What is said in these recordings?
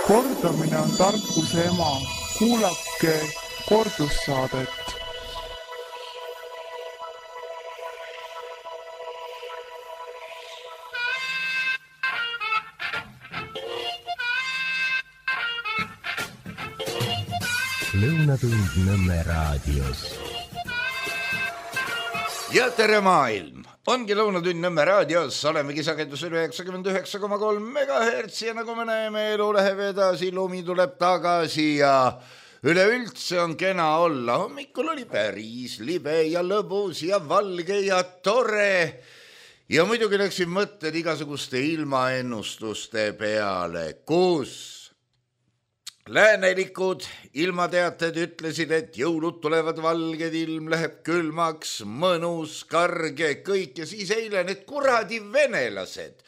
Kordamine on tarkuse ema. Kuulake kordussaadet. Lõunatund Nõmme raadios. Ja tere maailm! Ongi Lõunatund Nõmme raadios, olemegi sagedusel 99,3 MHz ja nagu me näeme, elu läheb edasi, lumi tuleb tagasi ja üleüldse on kena olla. Hommikul oli päris libe ja lõbus ja valge ja tore ja muidugi läksin mõtted igasuguste ilmaennustuste peale, kus läänelikud ilmateated ütlesid, et jõulud tulevad valged, ilm läheb külmaks, mõnus, karge, kõik ja siis eile need kuradi venelased,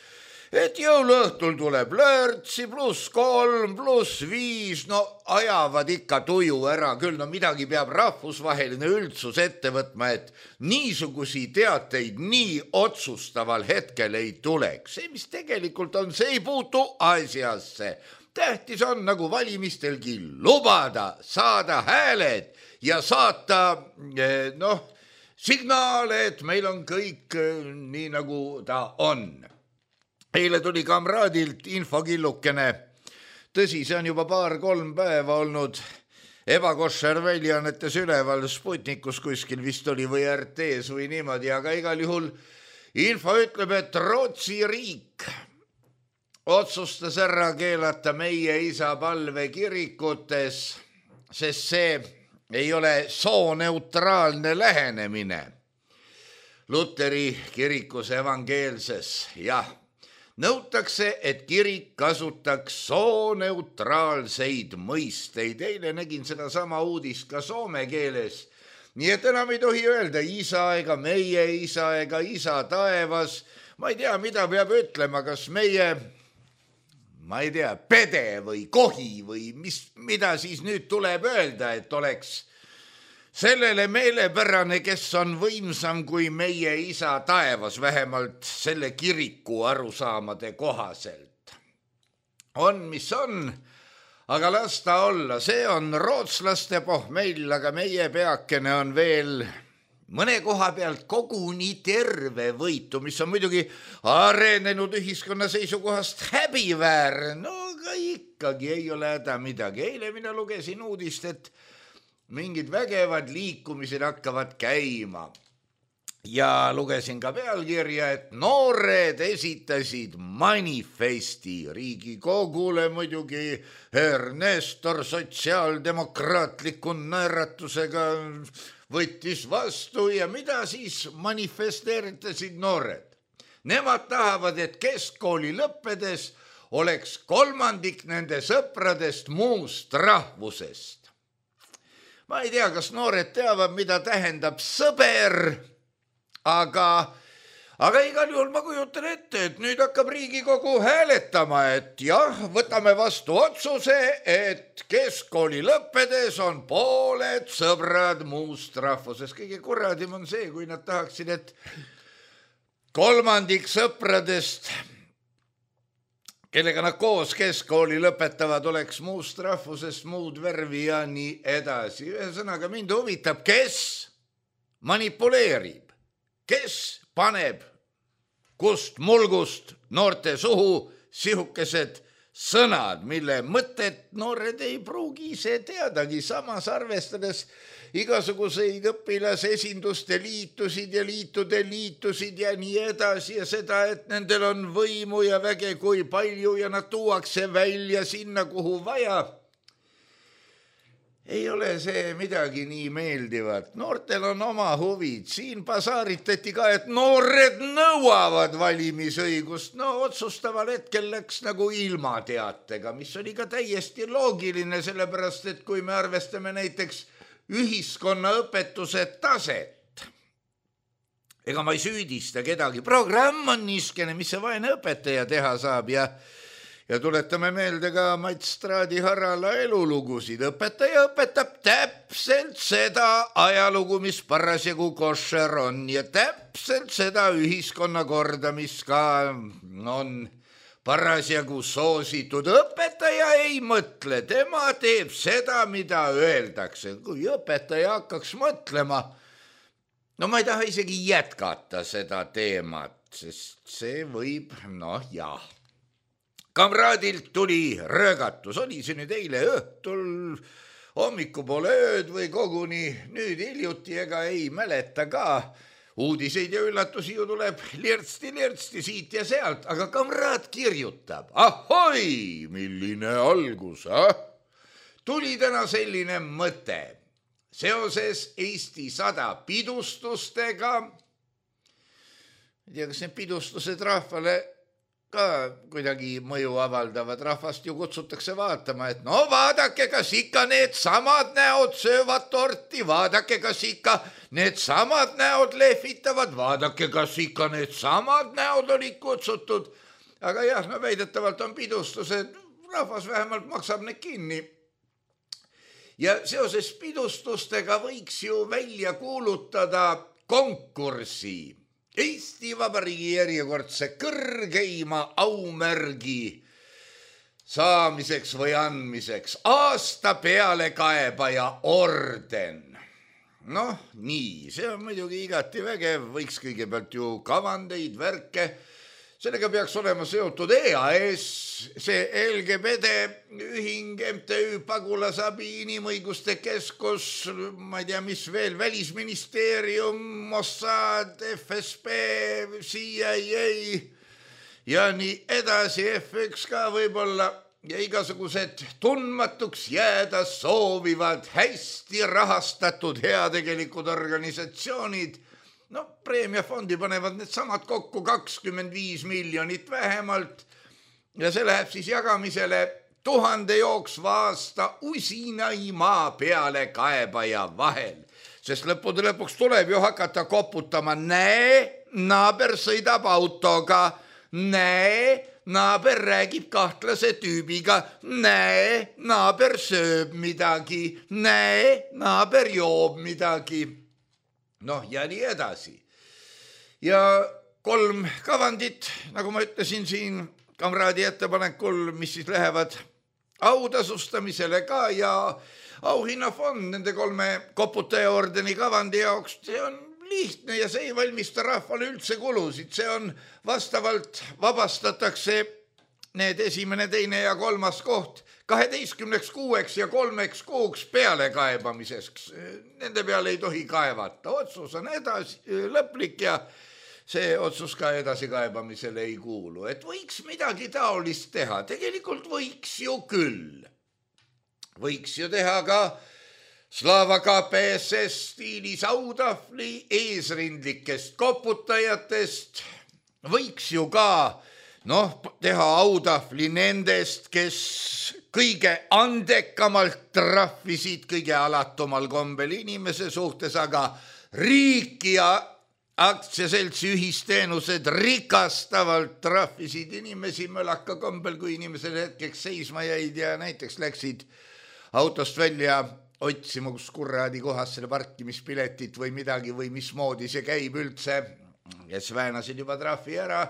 et jõuluõhtul tuleb lörtsi +3, +5, no ajavad ikka tuju ära küll, no midagi peab rahvusvaheline üldsus ette võtma, et niisugusi teateid nii otsustaval hetkel ei tuleks. See, mis tegelikult on, see ei puutu asjasse. Tähtis on nagu valimistelgi lubada, saada hääled ja saata signaale, et meil on kõik nii nagu ta on. Eile tuli kamraadilt infokillukene. Tõsi, see on juba 2-3 päeva olnud ebakoššer väljaannetes üleval Sputnikus kuskil vist oli või RT-s või niimoodi, aga igal juhul info ütleb, et Rootsi riik otsustas ära keelata meie isa palve kirikutes, sest see ei ole sooneutraalne lähenemine. Luteri kirikus evangeelses, jah, nõutakse, et kirik kasutaks sooneutraalseid mõisteid. Eile nägin seda sama uudist ka soome keeles. Nii et enam ei tohi öelda isa ega meie isa ega isa taevas. Ma ei tea, mida peab ütlema, kas meie pede või kohi või mida siis nüüd tuleb öelda, et oleks sellele meelepärane, kes on võimsam kui meie isa taevas, vähemalt selle kiriku arusaamade kohaselt. On, mis on, aga las ta olla, see on rootslaste pohmell, aga meie peakene on veel mõne koha pealt koguni terve võitu, mis on muidugi arenenud ühiskonna seisukohast häbiväär. No aga ikkagi ei ole häda midagi. Eile mina lugesin uudist, et mingid vägevad liikumised hakkavad käima. Ja lugesin ka pealkirja, et noored esitasid manifesti Riigikogule muidugi Ernestor sotsiaaldemokraatliku naeratusega võttis vastu ja mida siis manifesteeritasid noored? Nemad tahavad, et keskkooli lõppedes oleks 1/3 nende sõpradest muust rahvusest. Ma ei tea, kas noored teavad, mida tähendab sõber, aga igal juhul ma kujutan ette, et nüüd hakkab Riigikogu hääletama, et jah, võtame vastu otsuse, et keskkooli lõppedes on pooled sõbrad muust rahvusest. Kõige kurradim on see, kui nad tahaksid, et 1/3 sõpradest, kellega nad koos keskkooli lõpetavad, oleks muust rahvusest, muud värvi ja nii edasi. Ühesõnaga mind huvitab, kes manipuleerib, kes paneb kust mulgust noorte suhu sihukesed sõnad, mille mõtet noored ei pruugi ise teadagi, samas arvestades igasuguseid õpilasesinduste liitusid ja liitude liitusid ja nii edasi ja seda, et nendel on võimu ja väge kui palju ja nad tuuakse välja sinna, kuhu vaja. Ei ole see midagi nii meeldivat. Noortel on oma huvid. Siin pasaaritati ka, et noored nõuavad valimisõigust. No otsustaval hetkel läks nagu ilmateatega, mis oli ka täiesti loogiline, sellepärast, et kui me arvestame näiteks ühiskonnaõpetuse taset, ega ma ei süüdista kedagi. Programm on niiskene, mis see vaene õpetaja teha saab ja tuletame meelde ka Mats Straadi Harala elulugusid. Õpetaja õpetab täpselt seda ajalugu, mis parasjagu koššer on ja täpselt seda ühiskonnakorda, mis ka on parasjagu soositud. Õpetaja ei mõtle, tema teeb seda, mida öeldakse. Kui õpetaja hakkaks mõtlema, no ma ei taha isegi jätkata seda teemat, sest see võib, jah. Kamraadilt tuli röögatus, oli see nüüd eile õhtul, hommikupoole ööd või koguni nüüd hiljuti, ega ei mäleta ka. Uudiseid ja üllatusi ju tuleb lirtsti siit ja sealt, aga kamraad kirjutab. Ahoi, milline algus, Tuli täna selline mõte. Seoses Eesti 100 pidustustega, ei tea, kas need pidustused rahvale ka kuidagi mõju avaldavad, rahvast ju kutsutakse vaatama, et no vaadake, kas ikka need samad näod söövad torti, vaadake, kas ikka need samad näod lehvitavad, vaadake, kas ikka need samad näod olid kutsutud. Aga jah, no väidetavalt on pidustused, rahvas vähemalt maksab need kinni. Ja seoses pidustustega võiks ju välja kuulutada konkursi Eesti Vabariigi järjekordse kõrgeima aumärgi saamiseks või andmiseks, aasta pealekaebaja orden. Nii, see on muidugi igati vägev, võiks kõigepealt ju kavandeid, värke, sellega peaks olema seotud EAS, see LGBT ühing, MTÜ, Pagulasabi, Inimõiguste Keskus, ma ei tea, mis veel, Välisministeerium, Mossad, FSB, CIA ja nii edasi, F1 ka võib-olla ja igasugused tundmatuks jääda soovivad hästi rahastatud heategelikud organisatsioonid. Preemiafondi panevad need samad kokku 25 miljonit vähemalt ja see läheb siis jagamisele 1000 jooksva aasta usinaimaa peale kaebaja vahel. Sest lõppude lõpuks tuleb ju hakata koputama, näe, naaber sõidab autoga, näe, naaber räägib kahtlase tüübiga, näe, naaber sööb midagi, näe, naaber joob midagi. Ja nii edasi. Ja 3 kavandit, nagu ma ütlesin siin kamraadi ettepanekul, mis siis lähevad autasustamisele ka ja auhinnafond nende 3 koputaja ordeni kavandi jaoks, see on lihtne ja see ei valmista rahvale üldse kulusid, see on vastavalt vabastatakse need 1., 2. ja 3. koht 12 kuueks ja 3 kuuks pealekaebamiseks. Nende peale ei tohi kaevata. Otsus on lõplik ja see otsus ka edasikaebamisele ei kuulu. Et võiks midagi taolist teha. Tegelikult võiks ju küll. Võiks ju teha ka Slava KPSS stiilis autahvli eesrindlikest koputajatest. Võiks ju ka teha autahvli nendest, kes kõige andekamalt trahvisid kõige alatumal kombel inimese suhtes, aga riiki ja aktsiaseltsi ühisteenused rikastavalt trahvisid inimesi mölaka kombel, kui inimesed hetkeks seisma jäid ja näiteks läksid autost välja otsima, kus kurraadi kohas selle parkimispiletit või midagi või mismoodi see käib üldse, kes väänasid juba trahvi ära.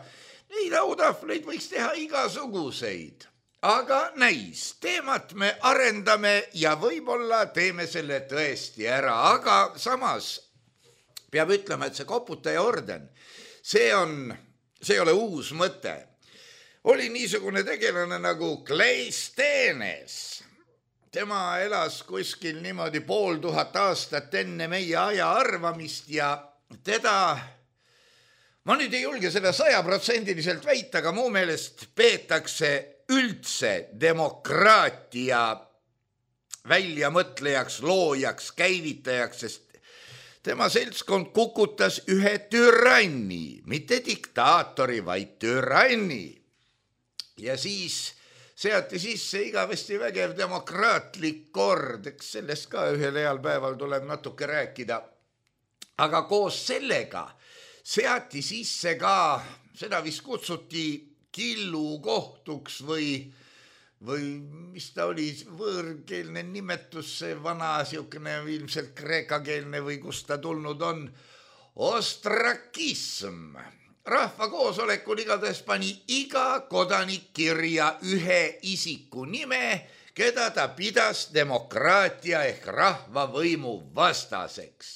Neid autahvleid võiks teha igasuguseid, aga näis, teemat me arendame ja võib-olla teeme selle tõesti ära, aga samas peab ütlema, et see koputaja orden, see ei ole uus mõte. Oli niisugune tegelane nagu Kleisthenes. Tema elas kuskil niimoodi 500 aastat enne meie aja arvamist ja teda... Ma nüüd ei julge seda 100% väita, aga muu meelest peetakse üldse demokraatia väljamõtlejaks, loojaks, käivitajaks, sest tema seltskond kukutas ühe türanni, mitte diktaatori, vaid türanni. Ja siis seati sisse igavesti vägev demokraatlik kord, eks sellest ka ühel heal päeval tuleb natuke rääkida. Aga koos sellega seati sisse ka, seda vist kutsuti killukohtuks või mis ta oli, võõrkeelne nimetus, see vana siukene ilmselt kreekakeelne või kust ta tulnud on, ostrakism. rahvakoosolekul igatahes pani iga kodanik kirja ühe isiku nime, keda ta pidas demokraatia ehk rahvavõimu vastaseks.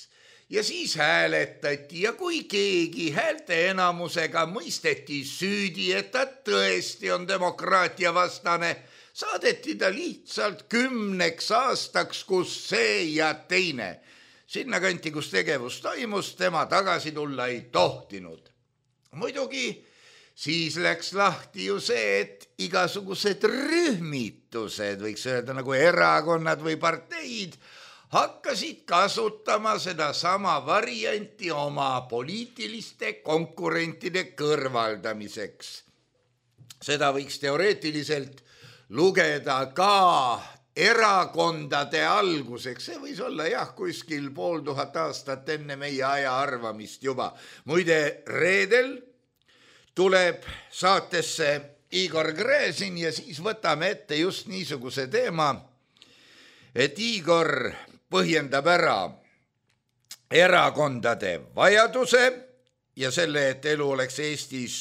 Ja siis hääletati ja kui keegi häälte enamusega mõisteti süüdi, et ta tõesti on demokraatia vastane, saadeti ta lihtsalt 10 aastaks, kus see ja teine. Sinna kanti, kus tegevus toimus, tema tagasi tulla ei tohtinud. Muidugi siis läks lahti ju see, et igasugused rühmitused, võiks öelda nagu erakonnad või parteid, hakkasid kasutama seda sama varianti oma poliitiliste konkurentide kõrvaldamiseks. Seda võiks teoreetiliselt lugeda ka erakondade alguseks. See võis olla kuskil 500 aastat enne meie aja arvamist juba. Muide, reedel tuleb saatesse Igor Gräzin ja siis võtame ette just niisuguse teema, et Igor põhjendab ära erakondade vajaduse ja selle, et elu oleks Eestis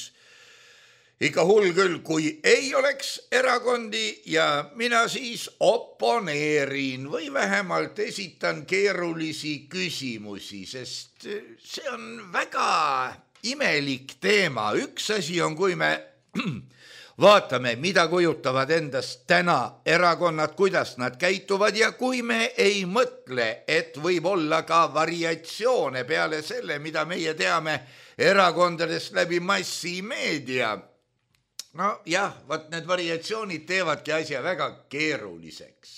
ikka hull küll, kui ei oleks erakondi ja mina siis oponeerin või vähemalt esitan keerulisi küsimusi, sest see on väga imelik teema. Üks asi on, kui me vaatame, mida kujutavad endast täna erakonnad, kuidas nad käituvad ja kui me ei mõtle, et võib olla ka variatsioone peale selle, mida meie teame erakondadest läbi massimeedia. No jah, need variatsioonid teevadki asja väga keeruliseks.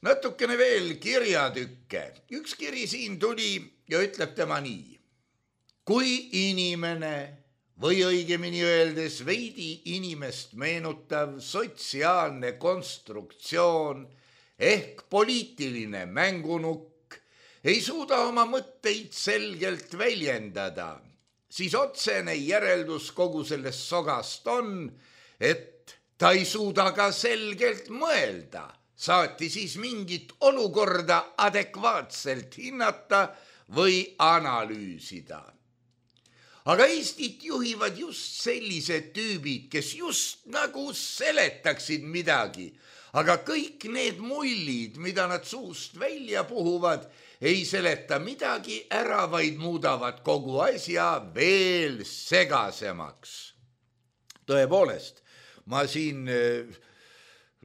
Natukene veel kirjatükke. Üks kiri siin tuli ja ütleb tema nii. Kui inimene või õigemini öeldes veidi inimest meenutav sotsiaalne konstruktsioon ehk poliitiline mängunukk ei suuda oma mõtteid selgelt väljendada, siis otsene järeldus kogu sellest sogast on, et ta ei suuda ka selgelt mõelda, saati siis mingit olukorda adekvaatselt hinnata või analüüsida. Aga Eestit juhivad just sellised tüübid, kes just nagu seletaksid midagi, aga kõik need mullid, mida nad suust välja puhuvad, ei seleta midagi ära, vaid muudavad kogu asja veel segasemaks. Tõepoolest, ma siin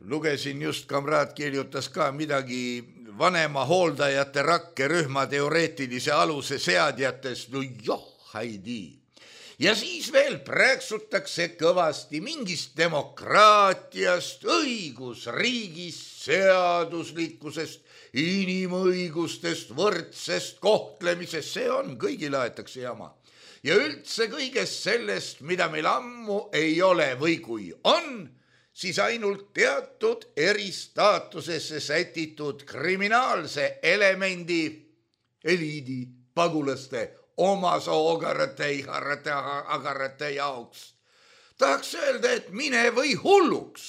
lugesin just, kamraad kirjutas ka midagi vanema hooldajate rakkerühma teoreetilise aluse seadjatest, no joh, haidi. Ja siis veel prääksutakse kõvasti mingist demokraatiast, õigusriigist, seaduslikkusest, inimõigustest, võrdsest kohtlemisest, see on, kõigile aetakse jama. Ja üldse kõigest sellest, mida meil ammu ei ole või kui on, siis ainult teatud eristaatusesse sätitud kriminaalse elemendi, eliidi, pagulaste, oma soogarate, agarate jaoks. Tahaks öelda, et mine või hulluks.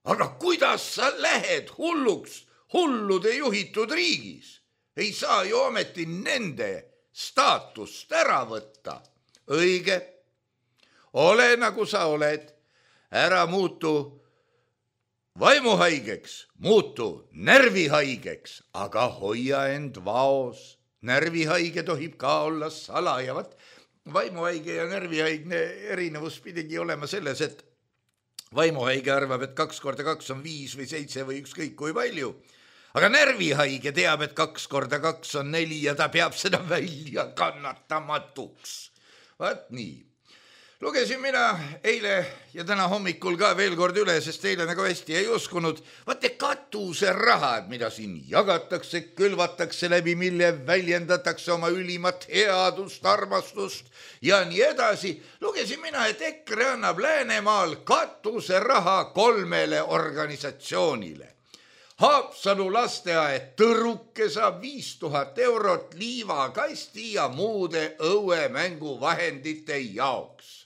Aga kuidas sa lähed hulluks hullude juhitud riigis? Ei saa ju ometi nende staatust ära võtta. Õige, ole nagu sa oled, ära muutu vaimuhaigeks, muutu närvihaigeks, aga hoia end vaos. Närvihaige tohib ka olla salajavat. Vaimuhaige ja närvihaigne erinevus pidigi olema selles, et vaimuhaige arvab, et 2 × 2 on 5 või 7 või ükskõik kui palju. Aga närvihaige teab, et 2 × 2 on 4 ja ta peab seda välja kannatamatuks. Vaat nii. Lugesin mina eile ja täna hommikul ka veel kord üle, sest eile nagu hästi ei uskunud. Vaate katuserahad, mida siin jagatakse, külvatakse läbi, mille väljendatakse oma ülimat headust, armastust ja nii edasi. Lugesin mina, et EKRE annab Läänemaal katuseraha 3 organisatsioonile. Haapsalu lasteaed Tõruke saab 5000 eurot liivakasti ja muude õuemänguvahendite jaoks.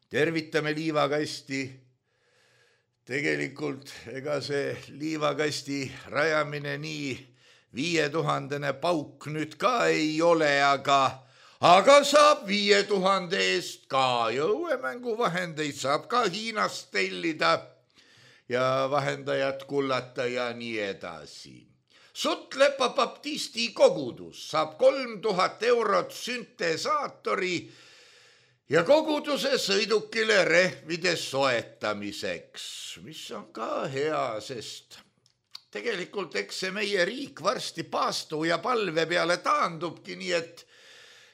Tervitame liivakasti. Tegelikult ega see liivakasti rajamine nii 5000 pauk nüüd ka ei ole, aga aga saab 5000 eest ka jõuemänguvahendeid, saab ka Hiinast tellida ja vahendajat kullata ja nii edasi. Sutlepa baptisti kogudus saab 3000 eurot süntesaatori ja koguduse sõidukile rehvide soetamiseks, mis on ka hea, sest tegelikult eks see meie riik varsti paastu ja palve peale taandubki, nii et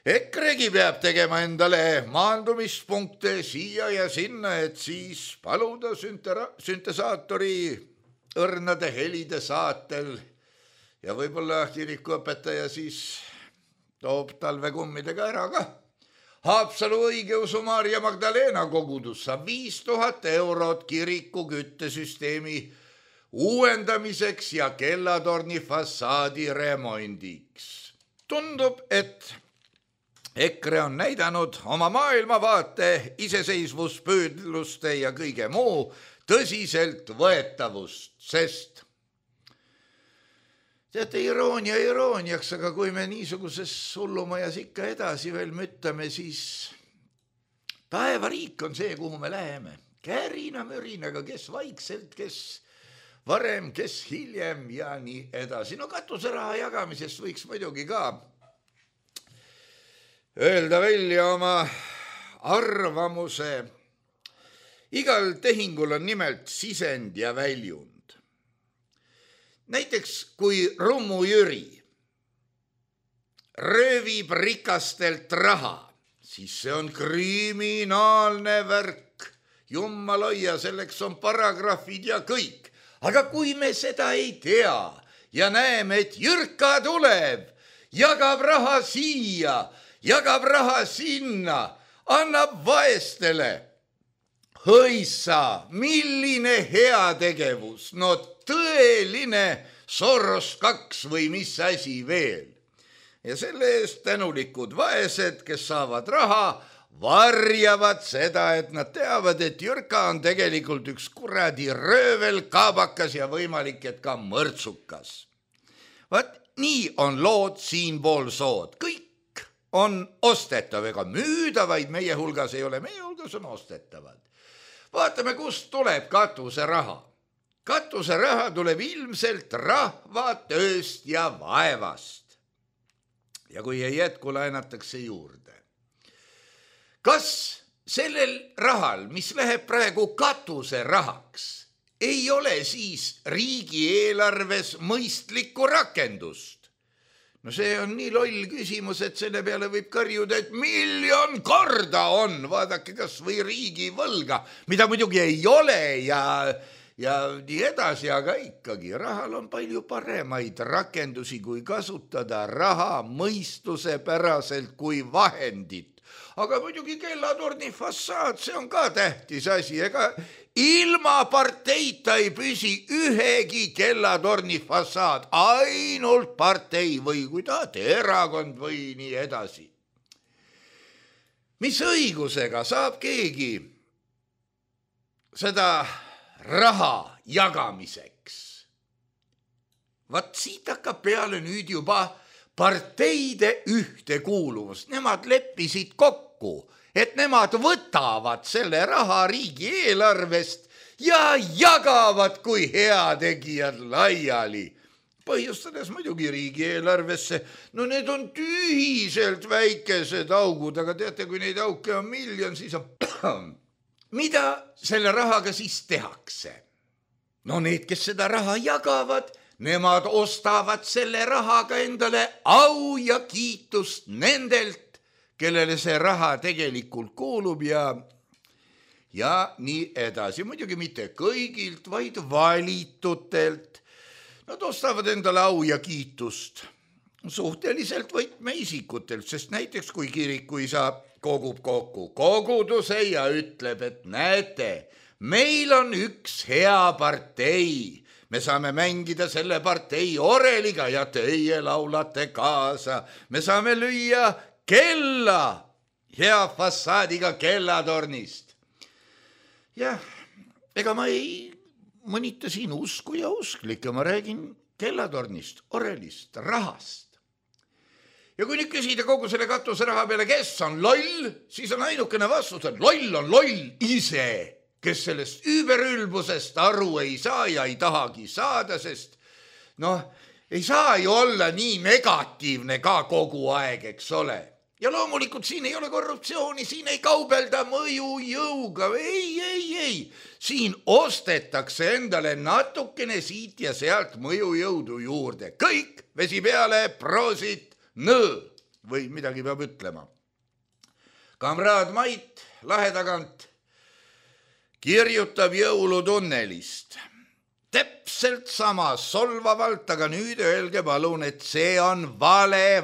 EKRE-gi peab tegema endale maandumispunkte siia ja sinna, et siis paluda süntesaatori õrnade helide saatel ja võib-olla kirikuõpetaja siis toob talvekummidega ära ka. Haapsalu õigeusu Maarja Magdalena kogudus saab 5000 eurot kiriku küttesüsteemi uuendamiseks ja kellatorni fassaadi remondiks. Tundub, et EKRE on näidanud oma maailmavaate, iseseisvuspüüdluste ja kõige muu tõsiselt võetavust, sest teate, iroonia irooniaks, aga kui me niisuguses hullumajas ikka edasi veel müttame, siis taevariik on see, kuhu me läheme. Kärina-mürinaga, kes vaikselt, kes varem, kes hiljem ja nii edasi. No katuseraha jagamisest võiks muidugi ka öelda välja oma arvamuse. Igal tehingul on nimelt sisend ja väljund. Näiteks kui Rummu Jüri röövib rikastelt raha, siis see on kriminaalne värk. Jummal hoia, selleks on paragrahvid ja kõik. Aga kui me seda ei tea ja näeme, et Jürka tuleb, jagab raha siia, jagab raha sinna, annab vaestele. Hõissa, milline heategevus, no tõeline Soros 2 või mis asi veel. Ja selle eest tänulikud vaesed, kes saavad raha, varjavad seda, et nad teavad, et Jürka on tegelikult üks kuradi röövel, kaabakas ja võimalik, et ka mõrtsukas. Vaat nii on lood siinpool sood. Kõik on ostetav, ega müüdavaid meie hulgas ei ole, meie hulgas on ostetavad. Vaatame, kust tuleb katuseraha. Katuseraha tuleb ilmselt rahva tööst ja vaevast. Ja kui ei jätku, laenatakse juurde. Kas sellel rahal, mis läheb praegu katuserahaks, ei ole siis riigieelarves mõistlikku rakendust? No see on nii loll küsimus, et selle peale võib karjuda, et 1,000,000 korda on. Vaadake kas või riigi võlga, mida muidugi ei ole ja nii edasi, aga ikkagi rahal on palju paremaid rakendusi, kui kasutada raha mõistusepäraselt kui vahendit. Aga muidugi kellatorni fassaad, see on ka tähtis asi, ega ilma parteita ei püsi ühegi kellatorni fassaad, ainult partei või kui tahate, erakond või nii edasi. Mis õigusega saab keegi seda raha jagamiseks? Vaat siit hakkab peale nüüd juba parteide ühtekuuluvus. Nemad leppisid kokku, et nemad võtavad selle raha riigieelarvest ja jagavad kui heategijad laiali. Põhjustades muidugi riigieelarvesse, no need on tühiselt väikesed augud, aga teate, kui neid auke on 1,000,000, siis on... Mida selle rahaga siis tehakse? No need, kes seda raha jagavad, nemad ostavad selle rahaga endale au ja kiitust nendelt, kellele see raha tegelikult kuulub ja nii edasi. Muidugi mitte kõigilt, vaid valitutelt. Nad ostavad endale au ja kiitust suhteliselt võtmeisikutelt, sest näiteks kui kirikuisa kogub kokku koguduse ja ütleb, et näete, meil on üks hea partei. Me saame mängida selle partei oreliga ja teie laulate kaasa. Me saame lüüa kella hea fassaadiga kellatornist. Jah, ega ma ei mõnita siin usku ja usklikke, ma räägin kellatornist, orelist, rahast. Ja kui nüüd küsida kogu selle katuseraha peale, kes on loll, siis on ainukene vastus, et loll on loll ise, kes sellest üüberülbusest aru ei saa ja ei tahagi saada, sest ei saa ju olla nii negatiivne ka kogu aeg, eks ole. Ja loomulikult siin ei ole korruptsiooni, siin ei kaubelda mõjujõuga, ei. Siin ostetakse endale natukene siit ja sealt mõjujõudu juurde. Kõik, vesi peale, proosit, või midagi peab ütlema. Kamraad Mait lahe tagant kirjutab jõulutunnelist. Täpselt sama solvavalt, aga nüüd öelge palun, et see on vale,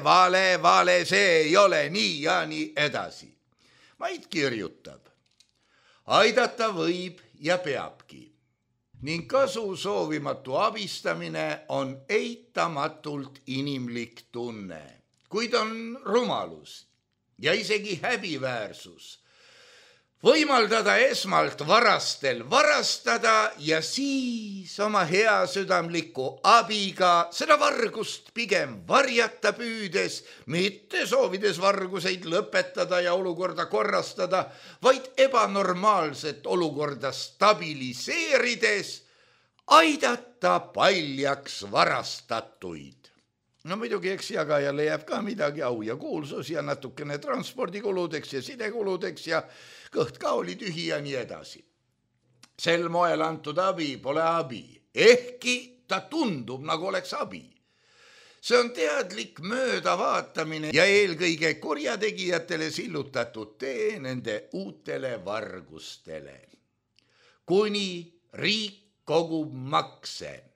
see ei ole nii ja nii edasi. Mait kirjutab. Aidata võib ja peabki. Ning kasu soovimatu abistamine on eitamatult inimlik tunne. Kuid on rumalus ja isegi häbiväärsus võimaldada esmalt varastel varastada ja siis oma hea südamliku abiga seda vargust pigem varjata püüdes, mitte soovides varguseid lõpetada ja olukorda korrastada, vaid ebanormaalset olukorda stabiliseerides aidata paljaks varastatuid. No muidugi eks jagajale jääb ka midagi au ja kuulsus ja natukene transpordikuludeks ja sidekuludeks ja kõht ka oli tühi ja nii edasi. Sel moel antud abi pole abi, ehkki ta tundub nagu oleks abi. See on teadlik möödavaatamine ja eelkõige kurjategijatele sillutatud tee nende uutele vargustele. Kuni riik kogub makse.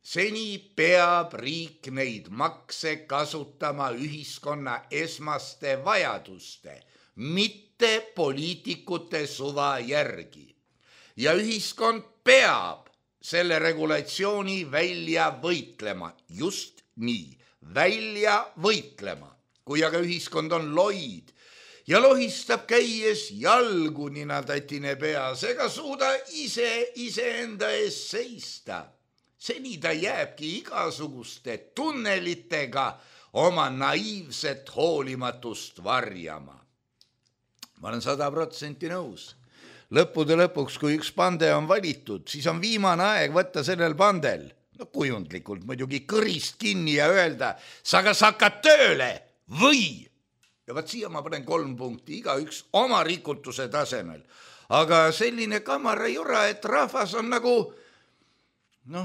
Seni peab riik neid makse kasutama ühiskonna esmaste vajaduste, mitte poliitikute suva järgi. Ja ühiskond peab selle regulatsiooni välja võitlema, just nii, välja võitlema. Kui aga ühiskond on loid ja lohistab käies jalgu ninatatine peas ega suuda iseenda ees seista, seni ta jääbki igasuguste tunnelitega oma naiivset hoolimatust varjama. Ma olen 100% nõus. Lõppude lõpuks, kui üks pande on valitud, siis on viimane aeg võtta sellel pandel, kujundlikult muidugi kõrist kinni ja öelda, sa kas hakkad tööle või. Ja vaat siia ma panen 3 punkti, igaüks oma rikutuse tasemel. Aga selline kamara jura, et rahvas on nagu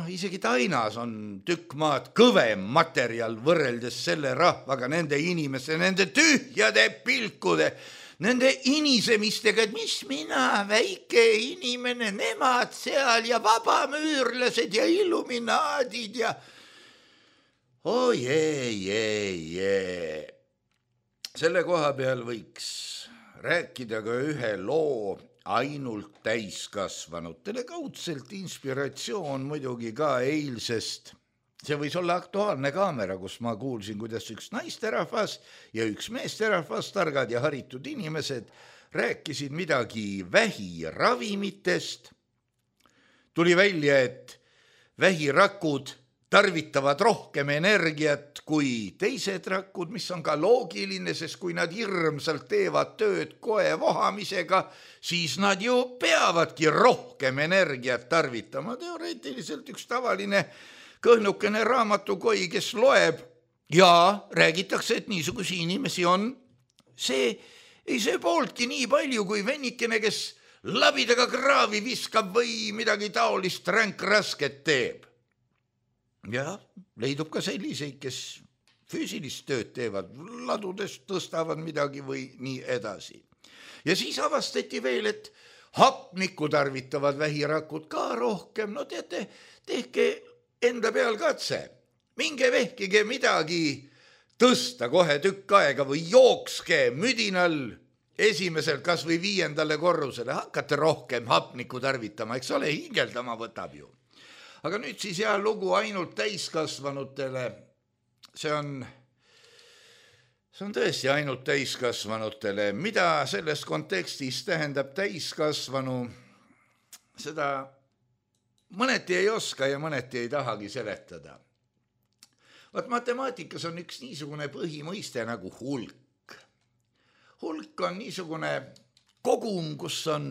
isegi Tainas on tükk maad kõvem materjal võrreldes selle rahvaga, nende inimeste, nende tühjade pilkude, nende inisemistega, et mis mina, väike inimene, nemad seal ja vabamüürlased ja illuminaadid ja Selle koha peal võiks rääkida ka ühe loo ainult täiskasvanutele, kaudselt inspiratsioon muidugi ka eilsest. See võis olla Aktuaalne kaamera, kus ma kuulsin, kuidas üks naisterahvas ja üks meesterahvas, targad ja haritud inimesed, rääkisid midagi vähiravimitest. Tuli välja, et vähirakud tarvitavad rohkem energiat kui teised rakud, mis on ka loogiline, sest kui nad hirmsalt teevad tööd koe vohamisega, siis nad ju peavadki rohkem energiat tarvitama. Teoreetiliselt üks tavaline kõhnukene raamatukoi, kes loeb ja räägitakse, et niisugusi inimesi on. See ei söö pooltki nii palju kui vennikene, kes labidaga kraavi viskab või midagi taolist ränkrasket teeb. Ja leidub ka selliseid, kes füüsilist tööd teevad, ladudest tõstavad midagi või nii edasi. Ja siis avastati veel, et hapnikku tarvitavad vähirakud ka rohkem. No teate, tehke enda peal katse. Minge vehkige midagi tõsta kohe tükk aega või jookske müdinal esimeselt kas või 5. korrusele. Hakkate rohkem hapnikku tarvitama, eks ole, hingeldama võtab ju. Aga nüüd siis lugu ainult täiskasvanutele. See on tõesti ainult täiskasvanutele. Mida selles kontekstis tähendab täiskasvanu? Seda mõneti ei oska ja mõneti ei tahagi seletada. Vaat matemaatikas on üks niisugune põhimõiste nagu hulk. Hulk on niisugune kogum, kus on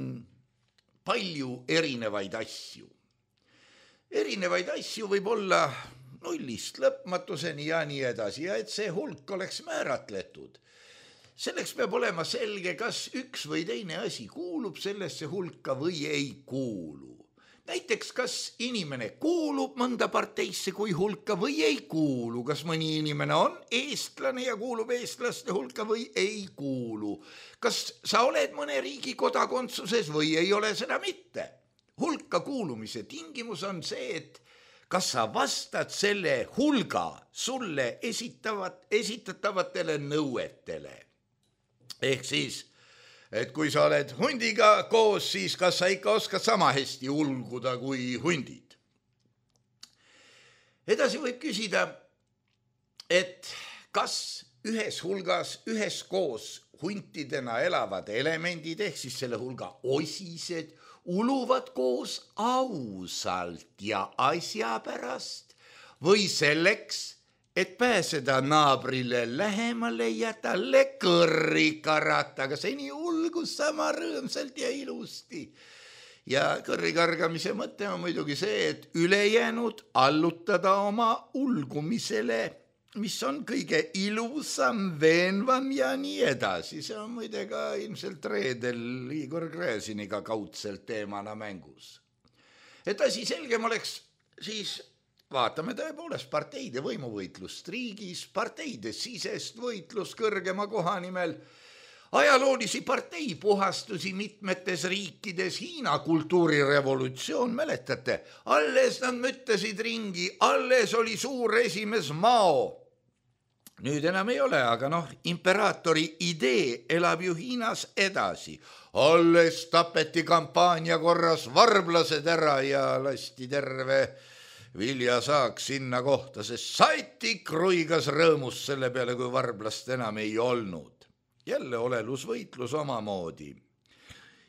palju erinevaid asju. Erinevaid asju võib olla nullist lõpmatuseni ja nii edasi ja et see hulk oleks määratletud. Selleks peab olema selge, kas üks või teine asi kuulub sellesse hulka või ei kuulu. Näiteks, kas inimene kuulub mõnda parteisse kui hulka või ei kuulu, kas mõni inimene on eestlane ja kuulub eestlaste hulka või ei kuulu. Kas sa oled mõne riigi kodakondsuses või ei ole seda mitte. Hulka kuulumise tingimus on see, et kas sa vastad selle hulga sulle esitatavatele nõuetele. Ehk siis, et kui sa oled hundiga koos, siis kas sa ikka oskad sama hästi ulguda kui hundid. Edasi võib küsida, et kas ühes hulgas, ühes koos huntidena elavad elemendid, ehk siis selle hulga osised, uluvad koos ausalt ja asja pärast või selleks, et pääseda naabrile lähemale ja talle kõrri karata, aga seni ulgus sama rõõmsalt ja ilusti. Ja kõrri kargamise mõte on muidugi see, et ülejäänud allutada oma ulgumisele, mis on kõige ilusam, veenvam ja nii edasi. See on muide ka ilmselt reedel Igor Gräziniga kaudselt teemana mängus. Et asi selgem oleks, siis vaatame tõepoolest parteide võimuvõitlust riigis, parteide sisest võitlust kõrgema koha nimel, ajaloolisi parteipuhastusi mitmetes riikides, Hiina kultuurirevolutsioon, mäletate, alles nad mõtlesid ringi, alles oli suur esimees Mao. Nüüd enam ei ole, aga imperaatori idee elab ju Hiinas edasi. Alles tapeti kampaania korras varblased ära ja lasti terve viljasaak sinna kohta, sest Saiti kruigas rõõmus selle peale, kui varblast enam ei olnud. Jälle olelusvõitlus omamoodi.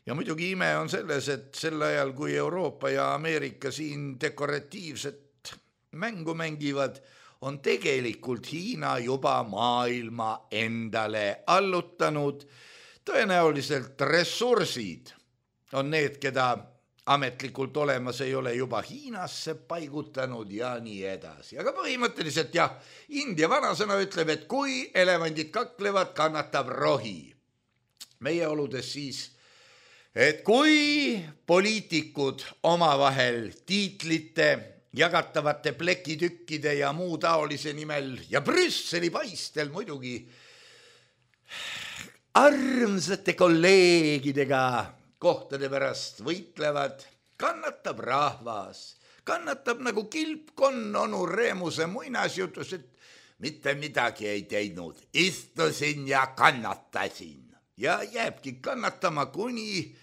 Ja muidugi ime on selles, et sel ajal, kui Euroopa ja Ameerika siin dekoratiivset mängu mängivad, on tegelikult Hiina juba maailma endale allutanud. Tõenäoliselt ressursid on need, keda ametlikult olemas ei ole, juba Hiinasse paigutanud ja nii edasi. Aga põhimõtteliselt jah, India vanasõna ütleb, et kui elevandid kaklevad, kannatab rohi. Meie oludes siis, et kui poliitikud omavahel tiitlite, jagatavate plekitükkide ja muu taolise nimel ja Brüsseli paistel muidugi armsate kolleegidega kohtade pärast võitlevad, kannatab rahvas, kannatab nagu kilpkonn onu Reemuse muinasjutus, et mitte midagi ei teinud, istusin ja kannatasin ja jääbki kannatama kuni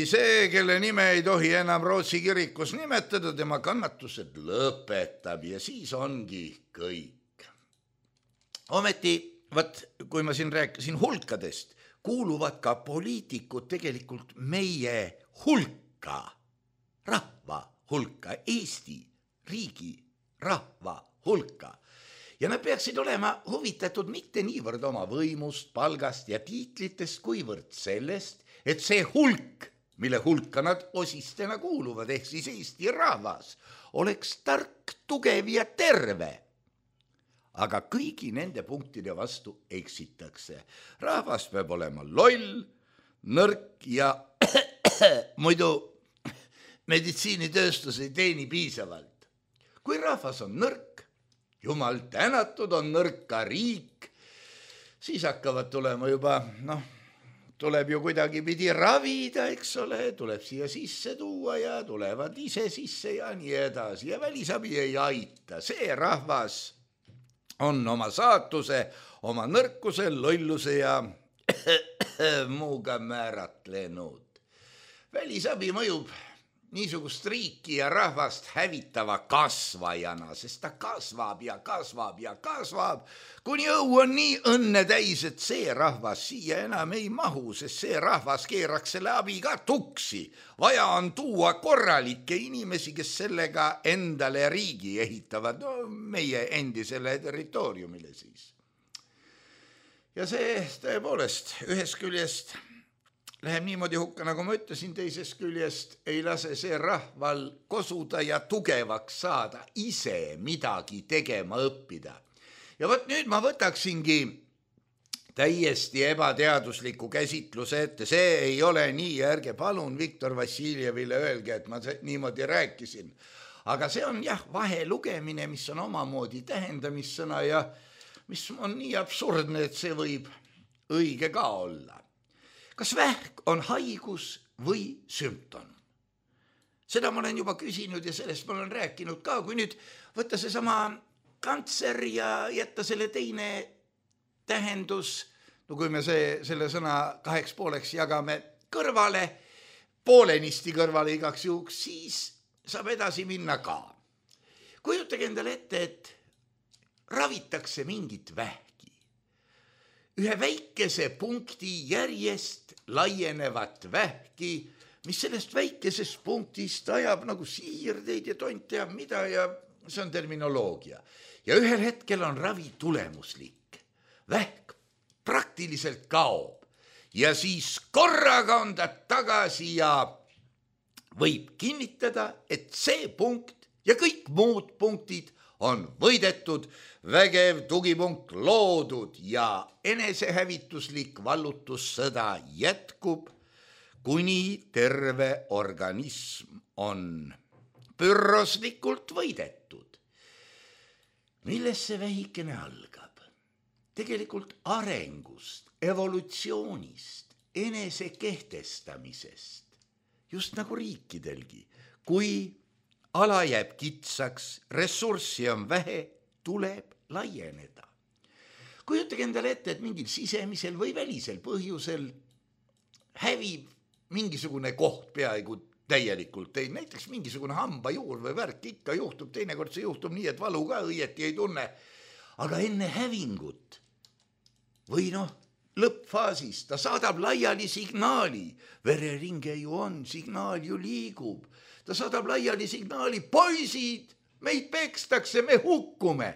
see, kelle nime ei tohi enam Rootsi kirikus nimetada, tema kannatused lõpetab ja siis ongi kõik. Ometi, kui ma siin rääkisin hulkadest, kuuluvad ka poliitikud tegelikult meie hulka, rahva hulka, Eesti riigi rahva hulka. Ja nad peaksid olema huvitatud mitte niivõrd oma võimust, palgast ja tiitlitest, kuivõrd sellest, et see hulk, mille hulka nad osistena kuuluvad, ehk siis Eesti rahvas, oleks tark, tugev ja terve. Aga kõigi nende punktide vastu eksitakse. Rahvas peab olema loll, nõrk ja muidu meditsiinitööstus ei teeni piisavalt. Kui rahvas on nõrk, jumal tänatud, on nõrk ka riik, siis hakkavad tulema juba, tuleb ju kuidagi pidi ravida, eks ole, tuleb siia sisse tuua ja tulevad ise sisse ja nii edasi. Ja välisabi ei aita. See rahvas on oma saatuse, oma nõrkuse, lolluse ja muuga määratlenud. Välisabi mõjub niisugust riiki ja rahvast hävitava kasvajana, sest ta kasvab ja kasvab ja kasvab, kuni õu on nii õnne täis, et see rahvas siia enam ei mahu, sest see rahvas keeraks selle abi ka tuksi. Vaja on tuua korralikke inimesi, kes sellega endale riigi ehitavad, no meie endisele territooriumile siis. Ja see tõepoolest ühest küljest läheb niimoodi hukka, nagu ma ütlesin, teisest küljest ei lase see rahval kosuda ja tugevaks saada, ise midagi tegema õppida. Ja võt nüüd ma võtaksingi täiesti ebateadusliku käsitluse ette, see ei ole nii, ärge palun Viktor Vassiljevile öelge, et ma niimoodi rääkisin. Aga see on jah, vahelugemine, mis on omamoodi tähendamissõna ja mis on nii absurdne, et see võib õige ka olla. Kas vähk on haigus või sümptom? Seda ma olen juba küsinud ja sellest ma olen rääkinud ka, kui nüüd võtta see sama kantser ja jätta selle teine tähendus, no kui me selle sõna 2 pooleks jagame kõrvale, poolenisti kõrvale igaks juhuks, siis saab edasi minna ka. Kujutage endale ette, et ravitakse mingit vähki. Ühe väikese punkti järjest laienevat vähki, mis sellest väikesest punktist ajab nagu siirdeid ja tont teab mida ja see on terminoloogia. Ja ühel hetkel on ravi tulemuslik. Vähk praktiliselt kaob ja siis korraga on ta tagasi ja võib kinnitada, et see punkt ja kõik muud punktid on võidetud, vägev tugipunkt loodud ja enesehävituslik vallutussõda jätkub, kuni terve organism on pürroslikult võidetud. Millest see vähikene algab? Tegelikult arengust, evolutsioonist, enese kehtestamisest, just nagu riikidelgi, kui ala jääb kitsaks, ressurssi on vähe, tuleb laieneda. Kujutage endale ette, et mingil sisemisel või välisel põhjusel hävib mingisugune koht peaaegu täielikult teil, näiteks mingisugune hambajuur või värk ikka juhtub, teinekord see juhtub nii, et valu ka õieti ei tunne, aga enne hävingut või lõppfaasis ta saadab laiali signaali, vereringe ju on, signaal ju liigub, ta saadab laiali signaali, poisid, meid pekstakse, me hukkume.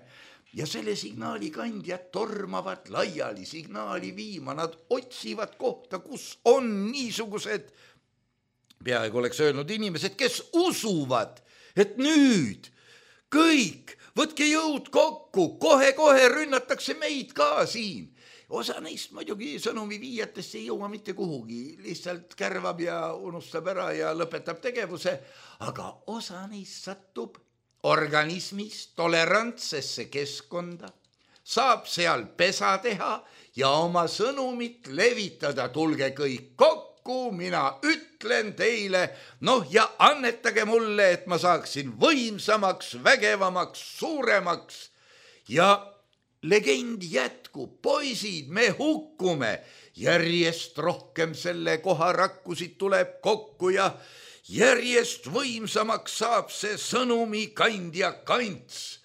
Ja selle signaali kandjad tormavad laiali signaali viima, nad otsivad kohta, kus on niisugused, peaaegu oleks öelnud inimesed, kes usuvad, et nüüd kõik, võtke jõud kokku, kohe-kohe rünnatakse meid ka siin. Osa neist muidugi sõnumi viijatest ei jõua mitte kuhugi, lihtsalt kärvab ja unustab ära ja lõpetab tegevuse, aga osa neist satub organismis tolerantsesse keskkonda, saab seal pesa teha ja oma sõnumit levitada, tulge kõik kokku, mina ütlen teile, ja annetage mulle, et ma saaksin võimsamaks, vägevamaks, suuremaks ja legend jätkub, poisid, me hukkume, järjest rohkem selle koha rakkusid tuleb kokku ja järjest võimsamaks saab see sõnumi kandja kants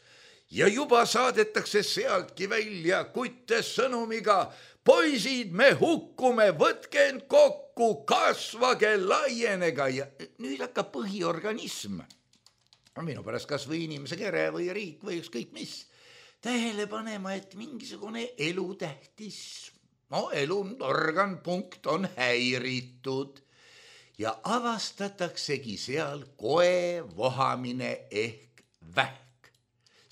ja juba saadetakse sealtki välja kutte sõnumiga, poisid, me hukkume, võtke end kokku, kasvage, laienega ja nüüd hakkab põhiorganism, minu pärast kas või inimese kere või riik või ükskõik mis, tähele panema, et mingisugune elutähtis, elurgan punkt on häiritud ja avastataksegi seal koe vohamine ehk vähk.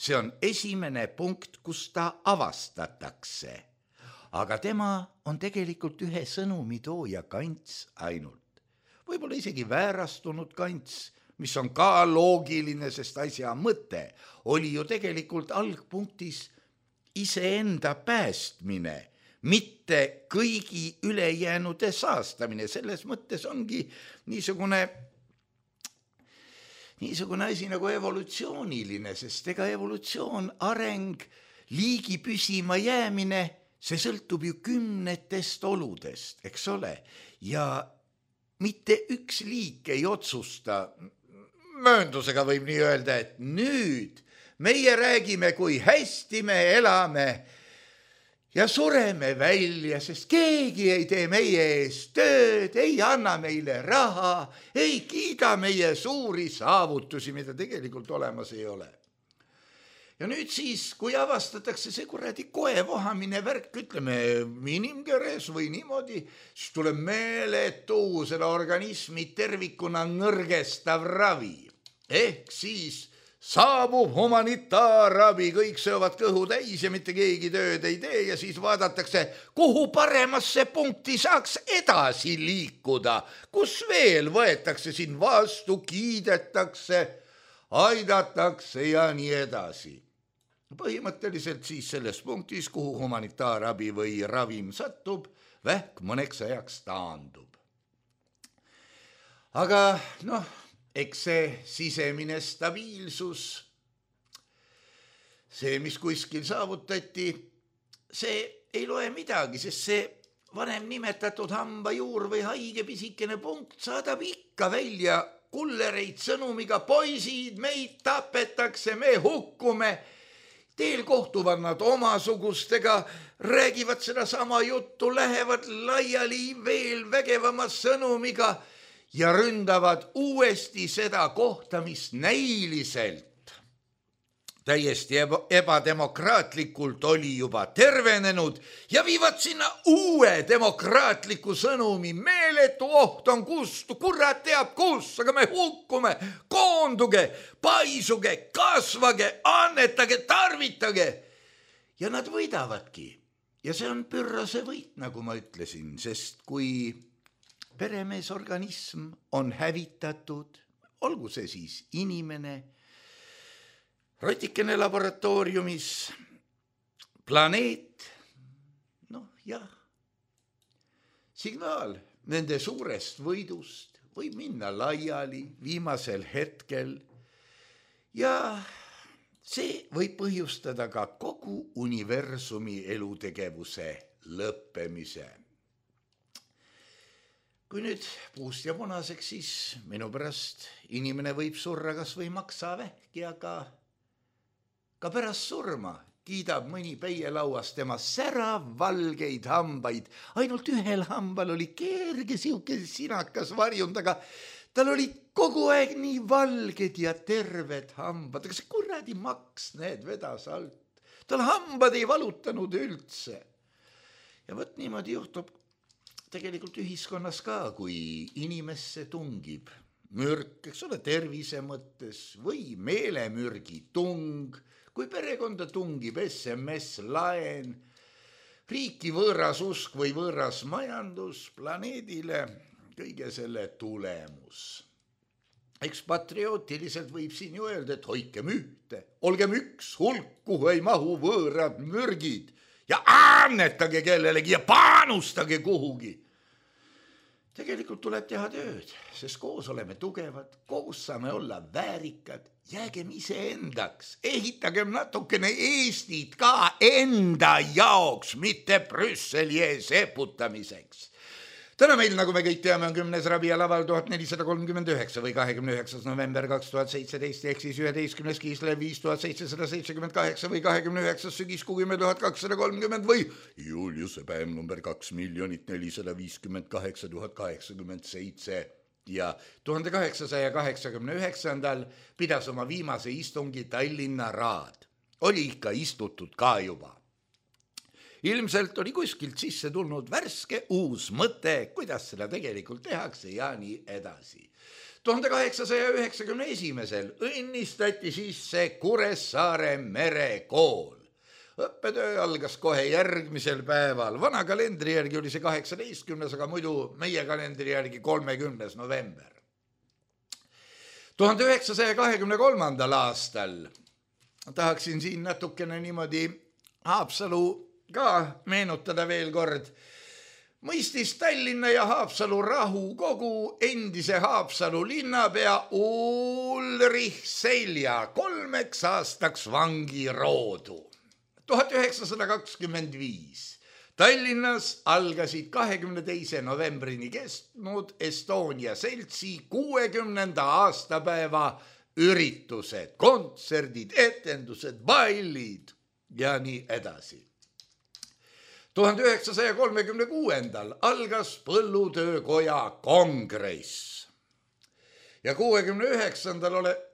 See on esimene punkt, kus ta avastatakse, aga tema on tegelikult ühe sõnumitooja kants ainult. Võib-olla isegi väärastunud kants, mis on ka loogiline, sest asja mõte oli ju tegelikult algpunktis iseenda päästmine, mitte kõigi ülejäänude saastamine. Selles mõttes ongi niisugune asi nagu evolutsiooniline, sest ega evolutsioon, areng, liigi püsima jäämine, see sõltub ju kümnetest oludest, eks ole, ja mitte üks liik ei otsusta. Mööndusega võib nii öelda, et nüüd meie räägime, kui hästi me elame ja sureme välja, sest keegi ei tee meie eest tööd, ei anna meile raha, ei kiida meie suuri saavutusi, mida tegelikult olemas ei ole. Ja nüüd siis, kui avastatakse see kuradi koevohamine värk, ütleme inimkeres või niimoodi, siis tuleb meeletu selle organismi tervikuna nõrgestav ravi. Ehk siis saabub humanitaarabi, kõik söövad kõhu täis ja mitte keegi tööd ei tee ja siis vaadatakse, kuhu paremasse punkti saaks edasi liikuda, kus veel võetakse siin vastu, kiidetakse, aidatakse ja nii edasi. Põhimõtteliselt siis selles punktis, kuhu humanitaarabi või ravim satub, vähk mõneks ajaks taandub. Aga eks see sisemine stabiilsus, see, mis kuskil saavutati, see ei loe midagi, sest see vanem nimetatud hambajuur või haige pisikene punkt saadab ikka välja kullereid sõnumiga, poisid, meid tapetakse, me hukkume. Teel kohtuvad nad omasugustega, räägivad seda sama juttu, lähevad laiali veel vägevama sõnumiga ja ründavad uuesti seda kohta, mis näiliselt täiesti ebademokraatlikult oli juba tervenenud ja viivad sinna uue demokraatliku sõnumi. Meeletu oht on kust, kurat teab kus, aga me hukkume, koonduge, paisuge, kasvage, annetage, tarvitage. Ja nad võidavadki. Ja see on pürrase võit, nagu ma ütlesin, sest kui peremeesorganism on hävitatud, olgu see siis inimene, rotikene laboratooriumis, planeet, signaal nende suurest võidust võib minna laiali viimasel hetkel ja see võib põhjustada ka kogu universumi elutegevuse lõppemise. Kui nüüd puust ja punaseks, siis minu pärast inimene võib surra kas või maksavähki, aga ka pärast surma kiidab mõni peielauas tema säravvalgeid hambaid. Ainult ühel hambal oli kerge siuke sinakas varjund, aga tal oli kogu aeg nii valged ja terved hambad. Aga see kuradi maks need vedas alt. Tal hambad ei valutanud üldse. Ja võt niimoodi juhtub tegelikult ühiskonnas ka, kui inimesse tungib mürk, eks ole, tervise mõttes või meelemürgi tung, kui perekonda tungib SMS-laen, riiki võõras usk või võõras majandus planeedile, kõige selle tulemus. Eks patriootiliselt võib siin ju öelda, et hoikem ühte, olgem üks hulk, kuhu ei mahu võõrad mürgid ja annetage kellelegi ja panustage kuhugi. Tegelikult tuleb teha tööd, sest koos oleme tugevad, koos saame olla väärikad, jäägem iseendaks, ehitagem natukene Eestit ka enda jaoks, mitte Brüsseli ees eputamiseks. Täna meil, nagu me kõik teame, on 10. Rabia laval 1439 või 29. november 2017 ehk siis 11. Kiislev 5778 või 29. sügiskuu 10.230 või Juliuse päev number 2,458,087 ja 1889 pidas oma viimase istungi Tallinna Raad. Oli ikka istutud ka juba. Ilmselt oli kuskilt sisse tulnud värske uus mõte, kuidas seda tegelikult tehakse ja nii edasi. 1891 õnnistati sisse Kuressaare merekool. Õppetöö algas kohe järgmisel päeval. Vana kalendri järgi oli see 18, aga muidu meie kalendri järgi 30. november. 1923. aastal tahaksin siin natukene niimoodi Haapsalu ka meenutada veel kord. Mõistis Tallinna ja Haapsalu rahukogu endise Haapsalu linnapea Ulrich Selja 3 aastaks vangiroodu. 1925 Tallinnas algasid 22. novembrini kestnud Estonia seltsi 60. aastapäeva üritused, kontserdid, etendused, ballid ja nii edasi. 1936. algas Põllutöökoja kongress ja 69.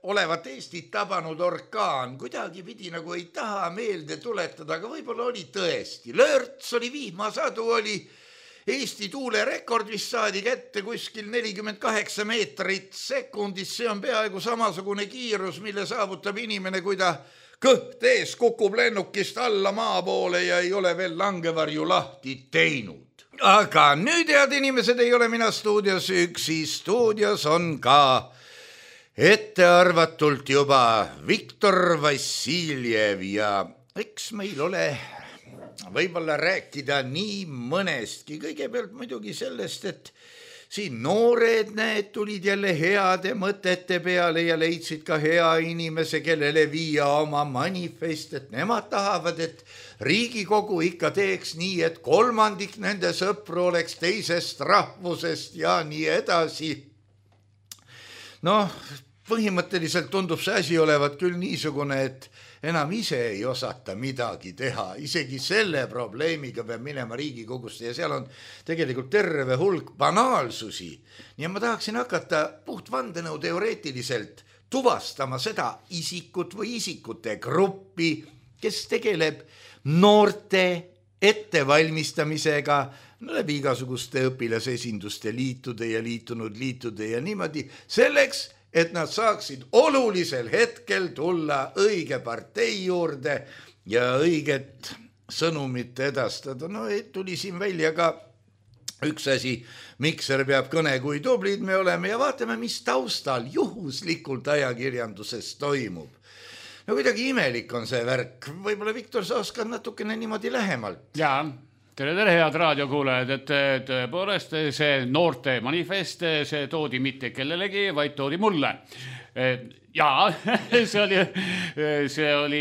olevat Eestit tabanud orkaan kuidagi pidi nagu ei taha meelde tuletada, aga võib-olla oli tõesti. Lörts oli, vihmasadu oli, Eesti tuulerekord vist saadi kätte kuskil 48 meetrit sekundis, see on peaaegu samasugune kiirus, mille saavutab inimene, kui ta kõht ees kukub lennukist alla maa poole ja ei ole veel langevarju lahti teinud. Aga nüüd, head inimesed, ei ole mina stuudios üksi, stuudios on ka ettearvatult juba Viktor Vassiljev ja eks meil ole võib-olla rääkida nii mõnestki. Kõigepealt muidugi sellest, et siin noored need tulid jälle heade mõtete peale ja leidsid ka hea inimese, kellele viia oma manifest, et nemad tahavad, et Riigikogu ikka teeks nii, et 1/3 nende sõpru oleks teisest rahvusest ja nii edasi. Noh, põhimõtteliselt tundub see asi olevat küll niisugune, et enam ise ei osata midagi teha, isegi selle probleemiga peab minema Riigikogusse ja seal on tegelikult terve hulk banaalsusi. Ja ma tahaksin hakata puht vandenõu teoreetiliselt tuvastama seda isikut või isikute gruppi, kes tegeleb noorte ettevalmistamisega läbi igasuguste õpilasesinduste liitude ja liitunud liitude ja niimoodi selleks, et nad saaksid olulisel hetkel tulla õige partei juurde ja õiget sõnumit edastada. No tuli siin välja ka üks asi, Mikser peab kõne, kui tublid me oleme ja vaatame, mis taustal juhuslikult ajakirjanduses toimub. No kuidagi imelik on see värk. Võib-olla, Viktor, sa oskad natukene niimoodi lähemalt. Jaa, tere, head raadiokuulajad, et tõepoolest see noorte manifest, see toodi mitte kellelegi, vaid toodi mulle. Jaa, see oli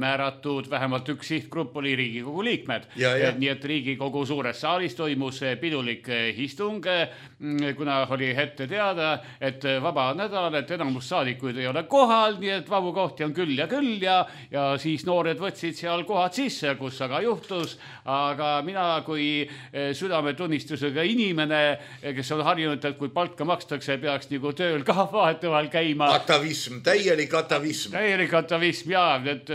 määratud, vähemalt üks sihtgrupp oli Riigikogu liikmed. Nii et Riigikogu suures saalis toimus pidulik istung, kuna oli ette teada, et vaba nädal, et enamus saadikuid ei ole kohal, nii et vabu kohti on küll ja siis noored võtsid seal kohad sisse, kus aga juhtus, aga mina kui südametunnistusega inimene, kes on harjunud, et kui palka makstakse, peaks nagu tööl ka vahetevahel käima. Atavism, täielik atavism. Täielik atavism, jaa, et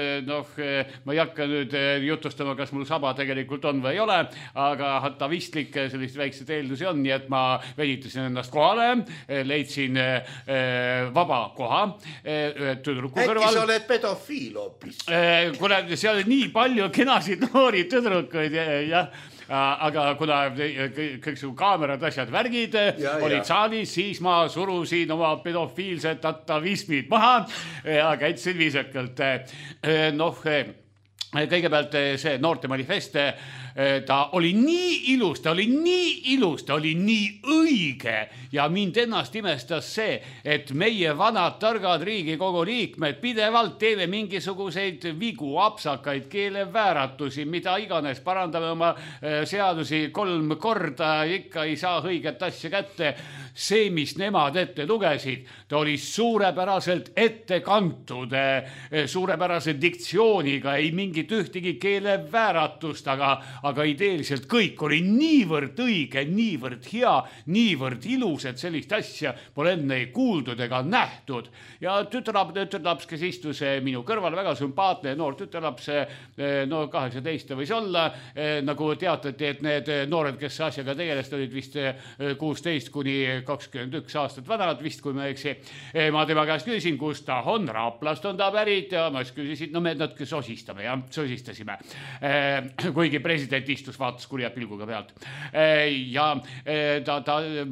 ma ei hakka nüüd jutustama, kas mul saba tegelikult on või ei ole, aga atavistlik sellist väikseid eeldusi on, nii et ma veditasin ennast kohale, leidsin vaba koha tüdruku kõrval. Äkki sa oled pedofiil hoopis? Kuna seal oli nii palju kenasid noori tüdrukuid, jah, aga kuna kõik su kaamerad, asjad, värgid olid saalis, siis ma surusin oma pedofiilsed atavismid maha ja käitsin viisakalt. Kõigepealt see noorte manifest, ta oli nii ilus, ta oli nii õige ja mind ennast imestas see, et meie vanad targad Riigikogu liikmed pidevalt teeme mingisuguseid vigu, apsakaid, keelevääratusi, mida iganes, parandame oma seadusi 3 korda, ikka ei saa õiget asja kätte. See, mis nemad ette lugesid, ta oli suurepäraselt ette kantud, suurepärase diktsiooniga, ei mingit ühtegi keelevääratust, aga ideeliselt kõik oli niivõrd õige, niivõrd hea, niivõrd ilus, et sellist asja pole enne ei kuuldud ega nähtud. Ja tütarlaps, kes istus minu kõrval, väga sümpaatne noor tütarlaps, 18 võis olla, nagu teatati, et need noored, kes asjaga tegelest, olid vist 16 kuni 21 aastat vanad vist, kui ma eksi. Ma tema käest küsisin, kus ta on, Raplast on ta pärit ja ma küsisin, me natuke sosistame ja sosistasime. Kuigi president istus, vaatas kurja pilguga pealt. Ja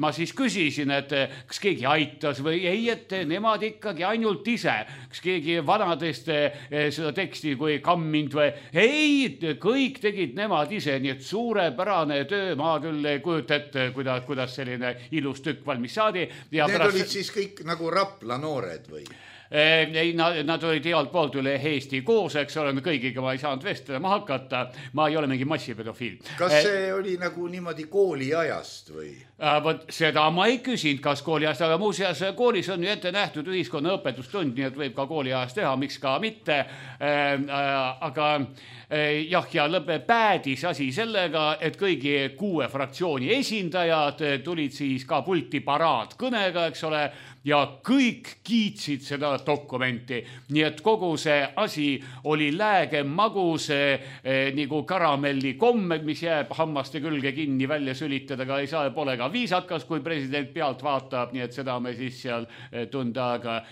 ma siis küsisin, et kas keegi aitas või ei, et nemad ikkagi ainult ise. Kas keegi vanadest seda teksti kui kammind või ei, kõik tegid nemad ise, nii et suurepärane töö, ma küll ei kujuta ette, kuidas selline ilus tükk valmis saadi. Need olid siis kõik nagu Rapla noored või? Ei, nad olid healt poolt üle Eesti koos, eks ole, kõigiga ma ei saanud vestlema hakata, ma ei ole mingi massipedofiil. Kas see oli nagu niimoodi kooliajast või? Võt, seda ma ei küsinud, kas kooliajast, aga muuseas koolis on ju ette nähtud ühiskonna õpetustund, nii et võib ka kooliajast teha, miks ka mitte. Aga jah, ja päädis asi sellega, et kõigi 6 fraktsiooni esindajad tulid siis ka pulti paraadkõnega, eks ole, ja kõik kiitsid seda dokumenti. Nii et kogu see asi oli lääge magus nagu karamelli kommed, mis jääb hammaste külge kinni välja sülitada, aga ei saa, pole ka viisakas, kui president pealt vaatab, nii et seda me siis seal tund aega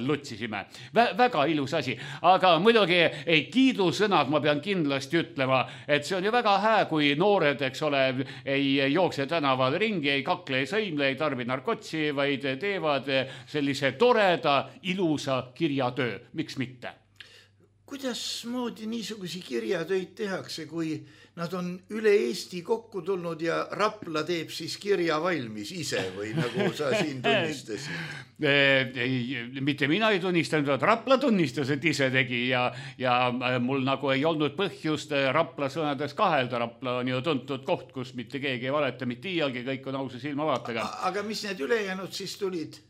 lutsisime. Väga ilus asi, aga muidugi ei kiidusõnad, ma pean kindlasti ütlema, et see on ju väga hää, kui noored, eks ole, ei jookse tänaval ringi, ei kakle, ei sõimle, ei tarbi narkotsi, vaid teevad sellise toreda, ilusa kirjatöö. Miks mitte? Kuidas moodi niisugusi kirjatöid tehakse, kui nad on üle Eesti kokku tulnud ja Rapla teeb siis kirja valmis ise või nagu sa siin tunnistasid? Mitte mina ei tunnistanud, et Rapla tunnistas, et ise tegi ja mul nagu ei olnud põhjust Rapla sõnades kahelda. Rapla on ju tuntud koht, kus mitte keegi ei valeta, mitte iialgi, kõik on ausa silmavaatega. Aga mis need ülejäänud siis tulid?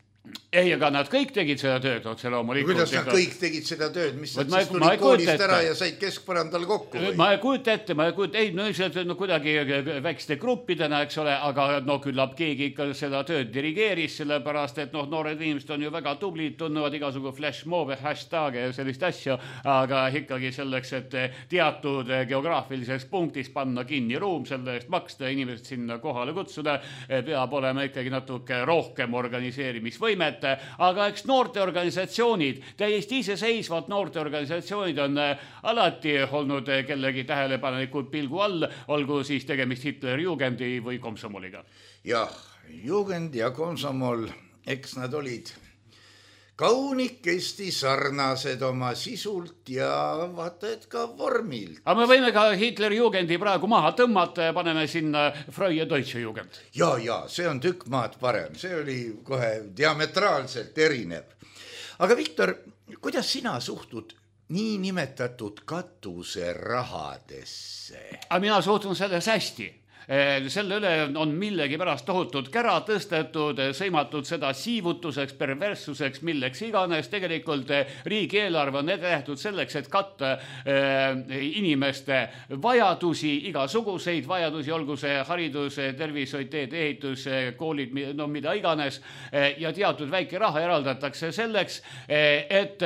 Ei, aga nad kõik tegid seda tööd, otse loomulikult. Kuidas nad kõik tegid seda tööd? Mis nad siis tulid koolist ära ja said keskpõrandal kokku? Või? Ma ei kujuta ette, ei, no kuidagi väikeste gruppidena, eks ole, aga no küllap keegi ikka seda tööd dirigeeris, sellepärast, et noored inimesed on ju väga tublid, tunnevad igasugu flashmobe, hashtag ja sellist asju, aga ikkagi selleks, et teatud geograafilises punktis panna kinni ruum, selle eest maksta, inimesed sinna kohale kutsuda, peab olema ikkagi natuke rohkem organiseerimisvõimet, aga eks noorteorganisatsioonid, täiesti iseseisvad noorteorganisatsioonid on alati olnud kellegi tähelepanelikult pilgu all, olgu siis tegemist Hitlerjugendi või komsomoliga. Jah, Jugend ja komsomol, eks nad olid kaunikesti sarnased oma sisult ja vaata, et ka vormilt. Aga me võime ka Hitlerjugendi praegu maha tõmmata ja paneme sinna Freie Deutsche Jugend. Ja, see on tükk maad parem. See oli kohe diametraalselt erinev. Aga Viktor, kuidas sina suhtud nii nimetatud katuserahadesse? Aga mina suhtun selles hästi. Selle üle on millegi pärast tohutud kära tõstetud, sõimatud seda siivutuseks, perverssuseks, milleks iganes. Tegelikult riigieelarve on nähtud selleks, et katta inimeste vajadusi, igasuguseid vajadusi, olgu see haridus, tervishoid, teedeehitus, koolid, no mida iganes. Ja teatud väike raha eraldatakse selleks, et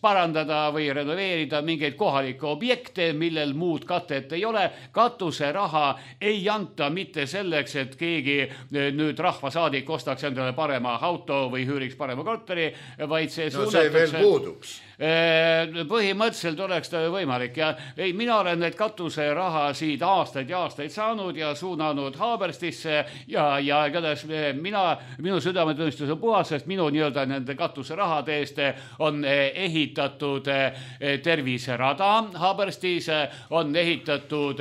parandada või renoveerida mingeid kohalikke objekte, millel muud katet ei ole. Katuse raha ei anta mitte selleks, et keegi nüüd rahvasaadik ostaks endale parema auto või hüüriks parema korteri, vaid see suunatakse... No see veel puuduks. Põhimõtteliselt oleks ta võimalik ja ei, mina olen need katuseraha siit aastaid ja aastaid saanud ja suunanud Haaberstisse ja igatahes minu südametunnistus on puhas, sest minu nii-öelda nende katuserahade eest on ehitatud terviserada Haaberstis, on ehitatud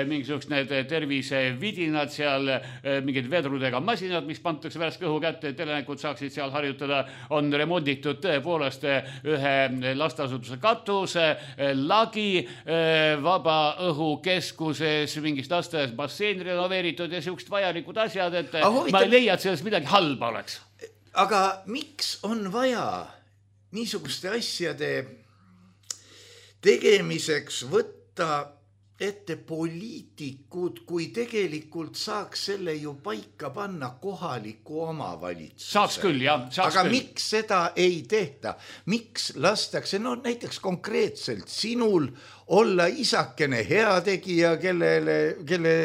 mingisugused need tervisevidinad seal, mingid vedrudega masinad, mis pantakse värske õhu kätte, et elanikud saaksid seal harjutada, on remonditud tõepoolest ühe lastasutuse katus, lagi vabaõhukeskuses, mingist lasteaias bassein renoveeritud ja siuksed vajalikud asjad, et ma ei leia, et sellest midagi halba oleks. Aga miks on vaja niisuguste asjade tegemiseks võtta ette poliitikud, kui tegelikult saaks selle ju paika panna kohaliku omavalitsuse? Saaks küll, jah. Aga miks seda ei tehta? Miks lastakse, no näiteks konkreetselt sinul olla isakene heategija, kelle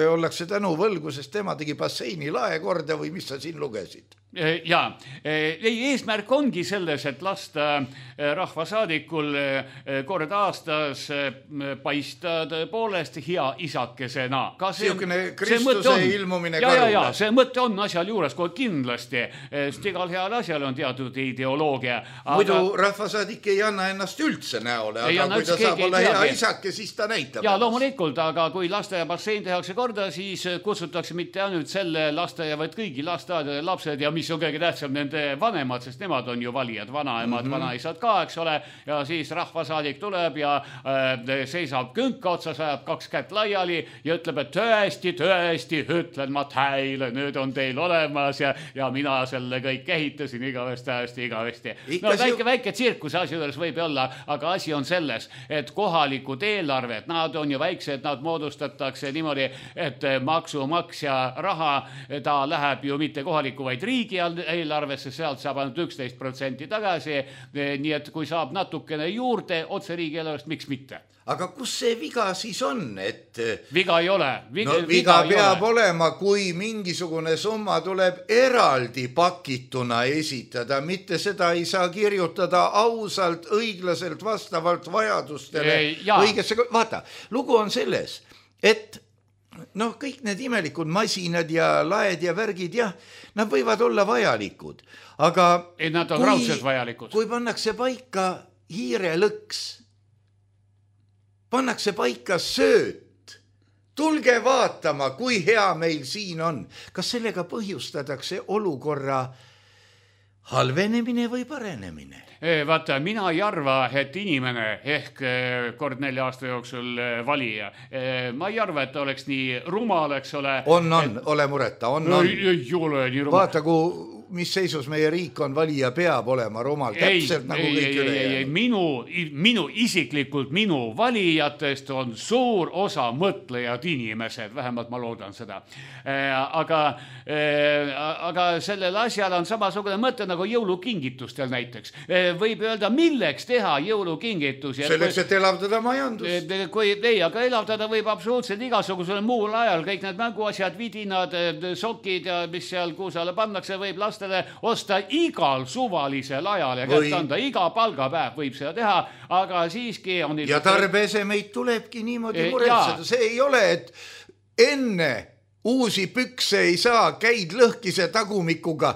ollakse tänu võlgu, sest tema tegi basseini lae korda või mis sa siin lugesid? Jaa, eesmärk ongi selles, et lasta rahvasaadikul kord aastas paista tõepoolest hea isakesena. Siukene Kristuse ilmumine karule. Ja, see mõte on asjal juures kohe kindlasti, sest igal heal asjal on teatud ideoloogia. Muidu rahvasaadik ei anna ennast üldse näole, aga kui ta saab olla hea isake, siis ta näitab. Ja loomulikult, aga kui lasteaia bassein tehakse korda, siis kutsutakse mitte ainult selle lasteaia, vaid kõigi lasteaedade lapsed ja mis on kõige tähtsam, nende vanemad, sest nemad on ju valijad, vanaemad, vanaisad ka, eks ole, ja siis rahvasaadik tuleb ja seisab künka otsas, ajab 2 kätt laiali ja ütleb, et tõesti, ütlen ma teile, nüüd on teil olemas ja mina selle kõik ehitasin igavesti. No väike tsirkuse asi juures võib olla, aga asi on selles, et kohalikud eelarved, nad on ju väiksed, nad moodustatakse niimoodi, et maksumaksja raha, ta läheb ju mitte kohaliku, vaid riigi eelarvesse, sealt saab ainult 11% tagasi, nii et kui saab natukene juurde otse riigi eelarvest, miks mitte? Aga kus see viga siis on, et... Viga ei ole. Viga peab olema, kui mingisugune summa tuleb eraldi pakituna esitada, mitte seda ei saa kirjutada ausalt, õiglaselt, vastavalt vajadustele. Vaata, lugu on selles, et kõik need imelikud masinad ja laed ja värgid, jah, nad võivad olla vajalikud, aga... Nad on raudselt vajalikud. Kui pannakse paika hiirelõks, pannakse paika sööt, tulge vaatama, kui hea meil siin on. Kas sellega põhjustatakse olukorra halvenemine või parenemine? Vaata, mina ei arva, et inimene ehk kord 4 aasta jooksul valija, ma ei arva, et ta oleks nii rumal, eks ole. Ole mureta, on. Ei ole nii rumal. Vaata, mis seisus meie riik on, valija peab olema rumal, täpselt nagu kõik ülejäänud. Minu isiklikult, minu valijatest on suur osa mõtlejad inimesed, vähemalt ma loodan seda. Aga sellel asjal on samasugune mõte nagu jõulukingitustel näiteks. Võib öelda, milleks teha jõulukingitus. Selleks, et elavdada majandust. Aga elavdada võib absoluutselt igasugusel muul ajal. Kõik need mänguasjad, vidinad, sokid ja mis seal kuusale pannakse, võib osta igal suvalisel ajal ja kätt anda, iga palgapäev võib seda teha, aga siiski on... Ja tarbeesemeid tulebki niimoodi muretseda. See ei ole, et enne uusi pükse ei saa, käid lõhkise tagumikuga,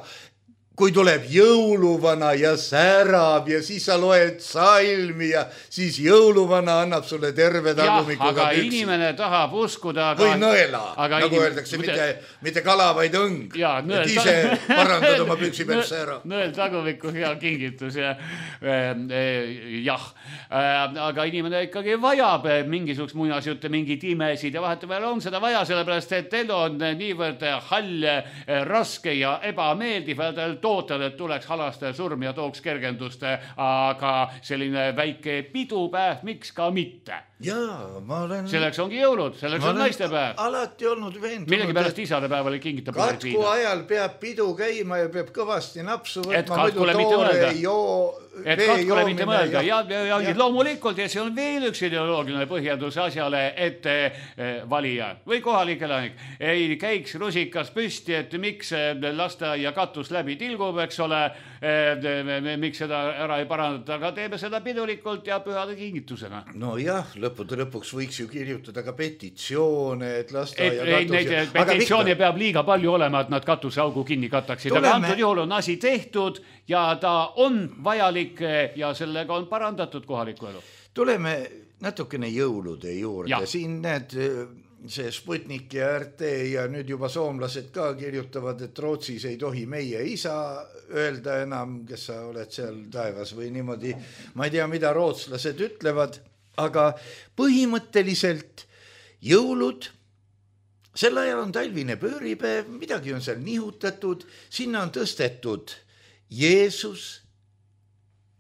kui tuleb jõuluvana ja särab ja siis sa loed salmi ja siis jõuluvana annab sulle terve tagumikuga aga püksi. Inimene tahab uskuda... Või nõela, nagu öeldakse, mitte kala, vaid õng. Et ise parandad oma püksi peal sära. Nõel tagumiku hea kingitus. Jah, aga inimene ikkagi vajab mingisugust muinasjutte, mingid imesid ja vahetupeal on seda vaja, sellepärast et elu on niivõrd hall, raske ja ebameeldiv, tootad, et tuleks halastaja surm ja tooks kergendust, aga selline väike pidupäev, miks ka mitte? Jaa, ma olen... Selleks ongi jõulud, selleks on naistepäev. Alati olnud veendunud. Millegi pärast isadepäevale kingitab. Katku ajal peab pidu käima ja peab kõvasti napsu võtma. Et katkule mitte mõelda. Ja loomulikult, ja see on veel üks ideoloogiline põhjendus asjale, et valija või kohalik elanik ei käiks rusikas püsti, et miks lasteaia katus läbi tilgub, eks ole, miks seda ära ei parandata, aga teeme seda pidulikult ja pühade kingitusena. No jah, lõpuks võiks ju kirjutada ka petitsioone, et lasteaia katus... Neid petitsioone peab liiga palju olema, et nad katusaugu kinni kataksid. Aga antud juhul on asi tehtud ja ta on vajalik ja sellega on parandatud kohaliku elu. Tuleme natukene jõulude juurde. Siin need... see Sputnik ja RT ja nüüd juba soomlased ka kirjutavad, et Rootsis ei tohi meie isa öelda enam, kes sa oled seal taevas või niimoodi. Ma ei tea, mida rootslased ütlevad, aga põhimõtteliselt jõulud, sel ajal on talvine pööripäev, midagi on seal nihutatud, sinna on tõstetud Jeesus,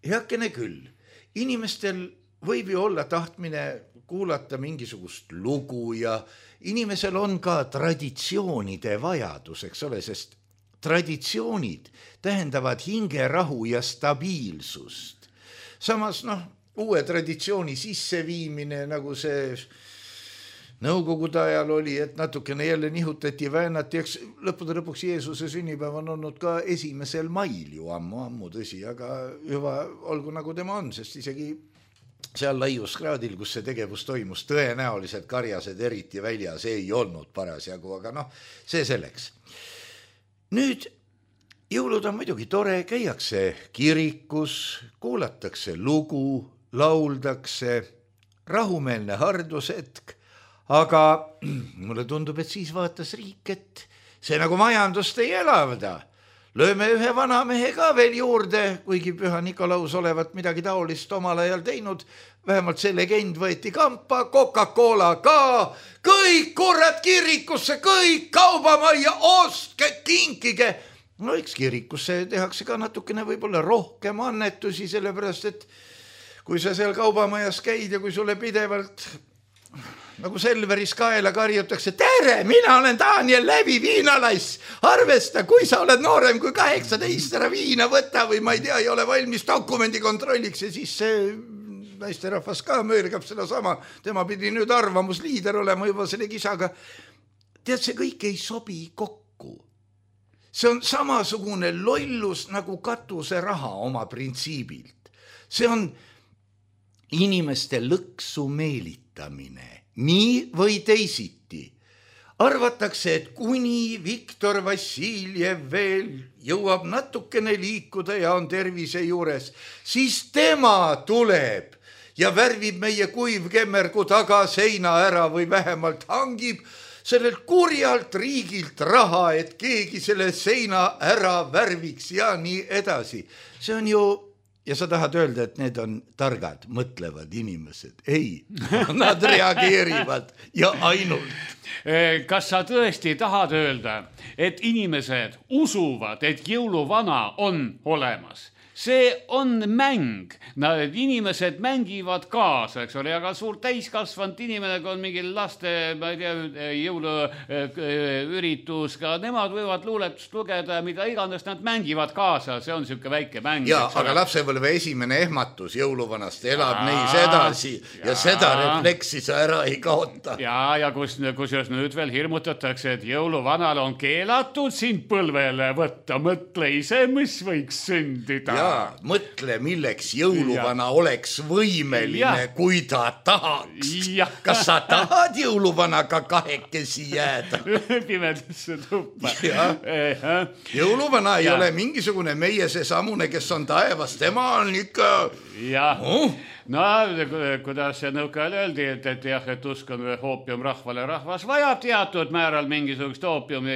heakene küll. Inimestel võib ju olla tahtmine kuulata mingisugust lugu ja inimesel on ka traditsioonide vajadus, eks ole, sest traditsioonid tähendavad hingerahu ja stabiilsust. Samas, uue traditsiooni sisseviimine, nagu see nõukogude ajal oli, et natukene jälle nihutati, väänati, eks lõppude lõpuks Jeesuse sünnipäev on olnud ka 1. mail ju ammu tõsi, aga juba olgu nagu tema on, sest isegi seal laiuskraadil, kus see tegevus toimus, tõenäoliselt karjased eriti väljas ei olnud parasjagu, aga see selleks. Nüüd jõulud on muidugi tore, käiakse kirikus, kuulatakse lugu, lauldakse, rahumeelne hardusetk, aga mulle tundub, et siis vaatas riik, et see nagu majandust ei elavda. lööme ühe vanamehe ka veel juurde, kuigi Püha Nikolaus olevat midagi taolist omal ajal teinud, vähemalt see legend võeti kampa, Coca-Cola ka, kõik kurat kirikusse, kõik kaubamajja, ostke, kinkige. No eks kirikusse tehakse ka natukene võib-olla rohkem annetusi, sellepärast et kui sa seal kaubamajas käid ja kui sulle pidevalt nagu Selveris kaela karjutakse, tere, mina olen Daniel Läbi, viinalass, arvesta, kui sa oled noorem kui 18, ära viina võta või ma ei tea, ei ole valmis dokumendi kontrolliks ja siis see naisterahvas ka möörgab seda sama, tema pidi nüüd arvamusliider olema juba selle kisaga. Tead, see kõik ei sobi kokku. See on samasugune lollus nagu katuse raha oma printsiibilt. See on inimeste lõksu meelitamine, nii või teisiti. Arvatakse, et kuni Viktor Vassiljev veel jõuab natukene liikuda ja on tervise juures, siis tema tuleb ja värvib meie kuivkemmergu taga seina ära või vähemalt hangib sellelt kurjalt riigilt raha, et keegi selle seina ära värviks ja nii edasi. See on ju, ja sa tahad öelda, et need on targad, mõtlevad inimesed. Ei, nad reageerivad ja ainult. Kas sa tõesti tahad öelda, et inimesed usuvad, et jõuluvana on olemas? See on mäng. Inimesed mängivad kaasa, eks ole, aga suur täiskasvanud inimene, kui on mingi laste, ma ei tea, jõuluüritus, ka nemad võivad luuletust lugeda, mida iganes nad mängivad kaasa, see on siuke väike mäng. Ja, aga lapsepõlve esimene ehmatus jõuluvanast elab neis edasi ja seda refleksi sa ära ei kaota. Ja kusjuures nüüd veel hirmutatakse, et jõuluvanal on keelatud sind põlvele võtta, mõtle ise, mis võiks sündida. Mõtle, milleks jõuluvana oleks võimeline, kui ta tahaks. Kas sa tahad jõuluvanaga kahekesi jääda? Pimedasse tuppa. Jõuluvana ei ole mingisugune meie seesamune, kes on taevas, tema on ikka... No, kuidas see nõukajal öeldi, et jah, et usk on oopium rahvale, rahvas vajab teatud määral mingisugust oopiumi,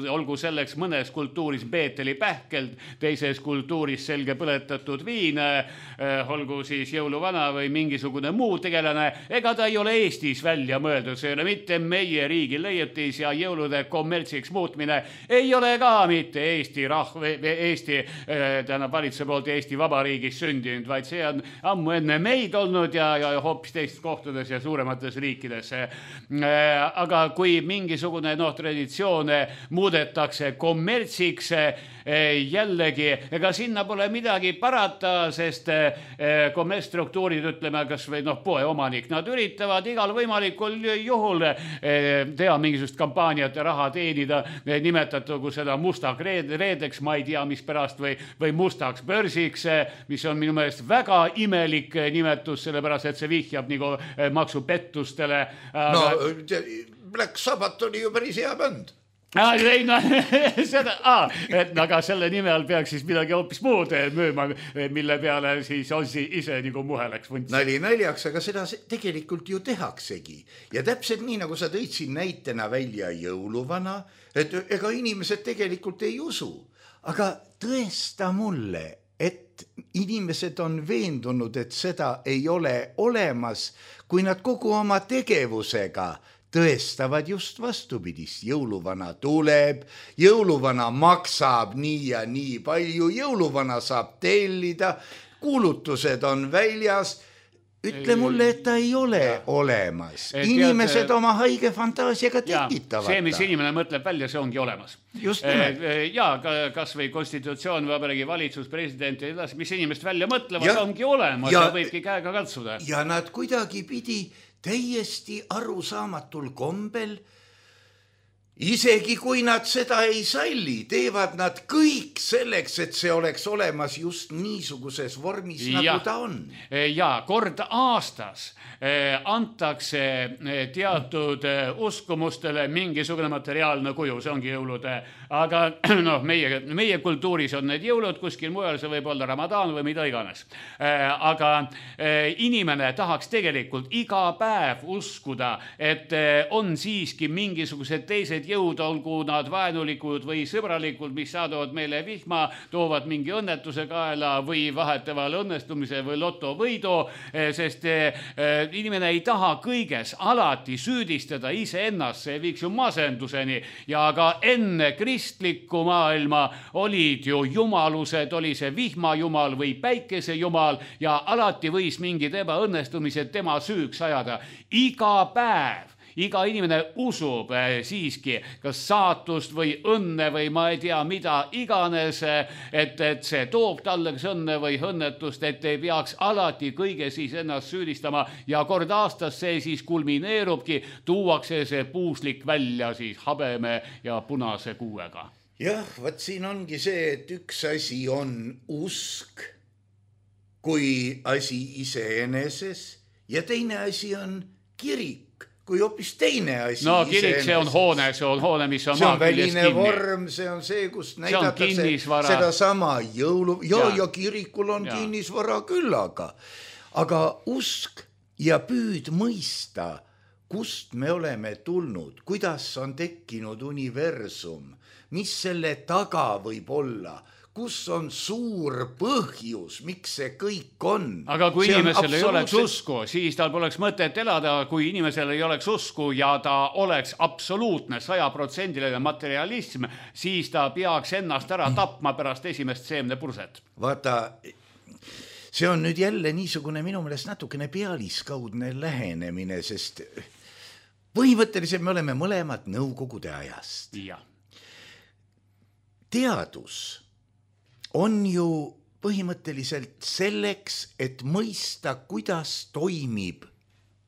olgu selleks mõnes kultuuris Beeteli pähkeld, teises kultuuris selge põletatud viin, olgu siis jõuluvana või mingisugune muu tegelane, ega ta ei ole Eestis välja mõeldud, see ei ole mitte meie riigi leiutis ja jõulude kommertsiks muutmine ei ole ka mitte Eesti valitsuse poolt Eesti Vabariigis sündinud, vaid see on ammu enne meid olnud ja hoopis teistes kohtades ja suuremates riikides. Aga kui mingisugune traditsioone muudetakse kommertsiks, jällegi, ega sinna pole midagi parata, sest kommertsstruktuurid, ütleme, kas või poeomanik, nad üritavad igal võimalikul juhul teha mingisugust kampaaniat ja raha teenida, nimetatugu seda mustaks reedeks, ma ei tea, mis pärast, või mustaks börsiks, mis on minu meelest väga imelik nimetus, sellepärast, et see vihjab nagu maksupettustele. Black Sabbath oli ju päris hea bänd. Aga selle nime all peaks siis midagi hoopis muud müüma, mille peale siis Ossi ise nagu muheleks vunts. Nali naljaks, aga seda tegelikult ju tehaksegi. Ja täpselt nii, nagu sa tõid siin näitena välja jõuluvana, et ega inimesed tegelikult ei usu. Aga tõesta mulle, et inimesed on veendunud, et seda ei ole olemas, kui nad kogu oma tegevusega tõestavad just vastupidist. Jõuluvana tuleb, jõuluvana maksab nii ja nii palju, jõuluvana saab tellida, kuulutused on väljas. Ütle mulle, et ta ei ole olemas. Inimesed oma haige fantaasiaga tekitavad. See, mis inimene mõtleb välja, see ongi olemas. Just nimelt. Ja kas või konstitutsioon, vabariigi valitsus, president ja edasi, mis inimest välja mõtlevad, ongi olemas ja võibki käega katsuda. Ja nad kuidagi pidi täiesti arusaamatul kombel, isegi kui nad seda ei salli, teevad nad kõik selleks, et see oleks olemas just niisuguses vormis, nagu ta on. Ja kord aastas antakse teatud uskumustele mingisugune materiaalne kuju, see ongi jõulude aga noh, meie kultuuris on need jõulud, kuskil mujal see võib olla Ramadan või mida iganes. Aga inimene tahaks tegelikult iga päev uskuda, et on siiski mingisugused teised jõud, olgu nad vaenulikud või sõbralikud, mis saadavad meile vihma, toovad mingi õnnetuse kaela või vahetavad õnnestumise või lotovõidu, sest inimene ei taha kõiges alati süüdistada iseennast, see viiks ju masenduseni ja ka enne kristlikku maailma olid ju jumalused, oli see vihmajumal või päikesejumal ja alati võis mingid ebaõnnestumised tema süüks ajada. Iga päev iga inimene usub siiski kas saatust või õnne või ma ei tea mida iganes, et see toob talle kas õnne või õnnetust, et ei peaks alati kõige siis ennast süüdistama ja kord aastas see siis kulmineerubki, tuuakse see puuslik välja siis habeme ja punase kuuega. Jah, võt siin ongi see, et üks asi on usk kui asi iseeneses ja teine asi on kirik kui hoopis teine asi. No kirik, see on hoone, mis on maa küljes kinni. See on väline vorm, see on see, kus näidatakse seda sama jõulu. Ja kirikul on kinnisvara küll, aga usk ja püüd mõista, kust me oleme tulnud, kuidas on tekkinud universum, mis selle taga võib olla, kus on suur põhjus, miks see kõik on. Aga kui inimesel ei oleks usku, siis tal poleks mõtet elada, kui inimesel ei oleks usku ja ta oleks absoluutne 100% materialism, siis ta peaks ennast ära tapma pärast esimest seemnepurset. Vaata, see on nüüd jälle niisugune minu meelest natukene pealiskaudne lähenemine, sest põhimõtteliselt me oleme mõlemad nõukogude ajast. Ja. Teadus on ju põhimõtteliselt selleks, et mõista, kuidas toimib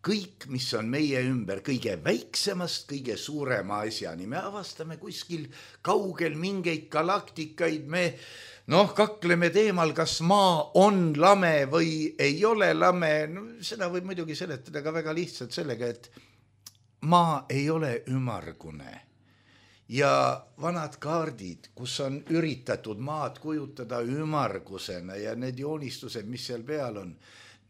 kõik, mis on meie ümber, kõige väiksemast, kõige suurema asjani. Me avastame kuskil kaugel mingeid galaktikaid, me kakleme teemal, kas maa on lame või ei ole lame. Seda võib muidugi seletada ka väga lihtsalt sellega, et maa ei ole ümmargune. Ja vanad kaardid, kus on üritatud maad kujutada ümmargusena ja need joonistused, mis seal peal on,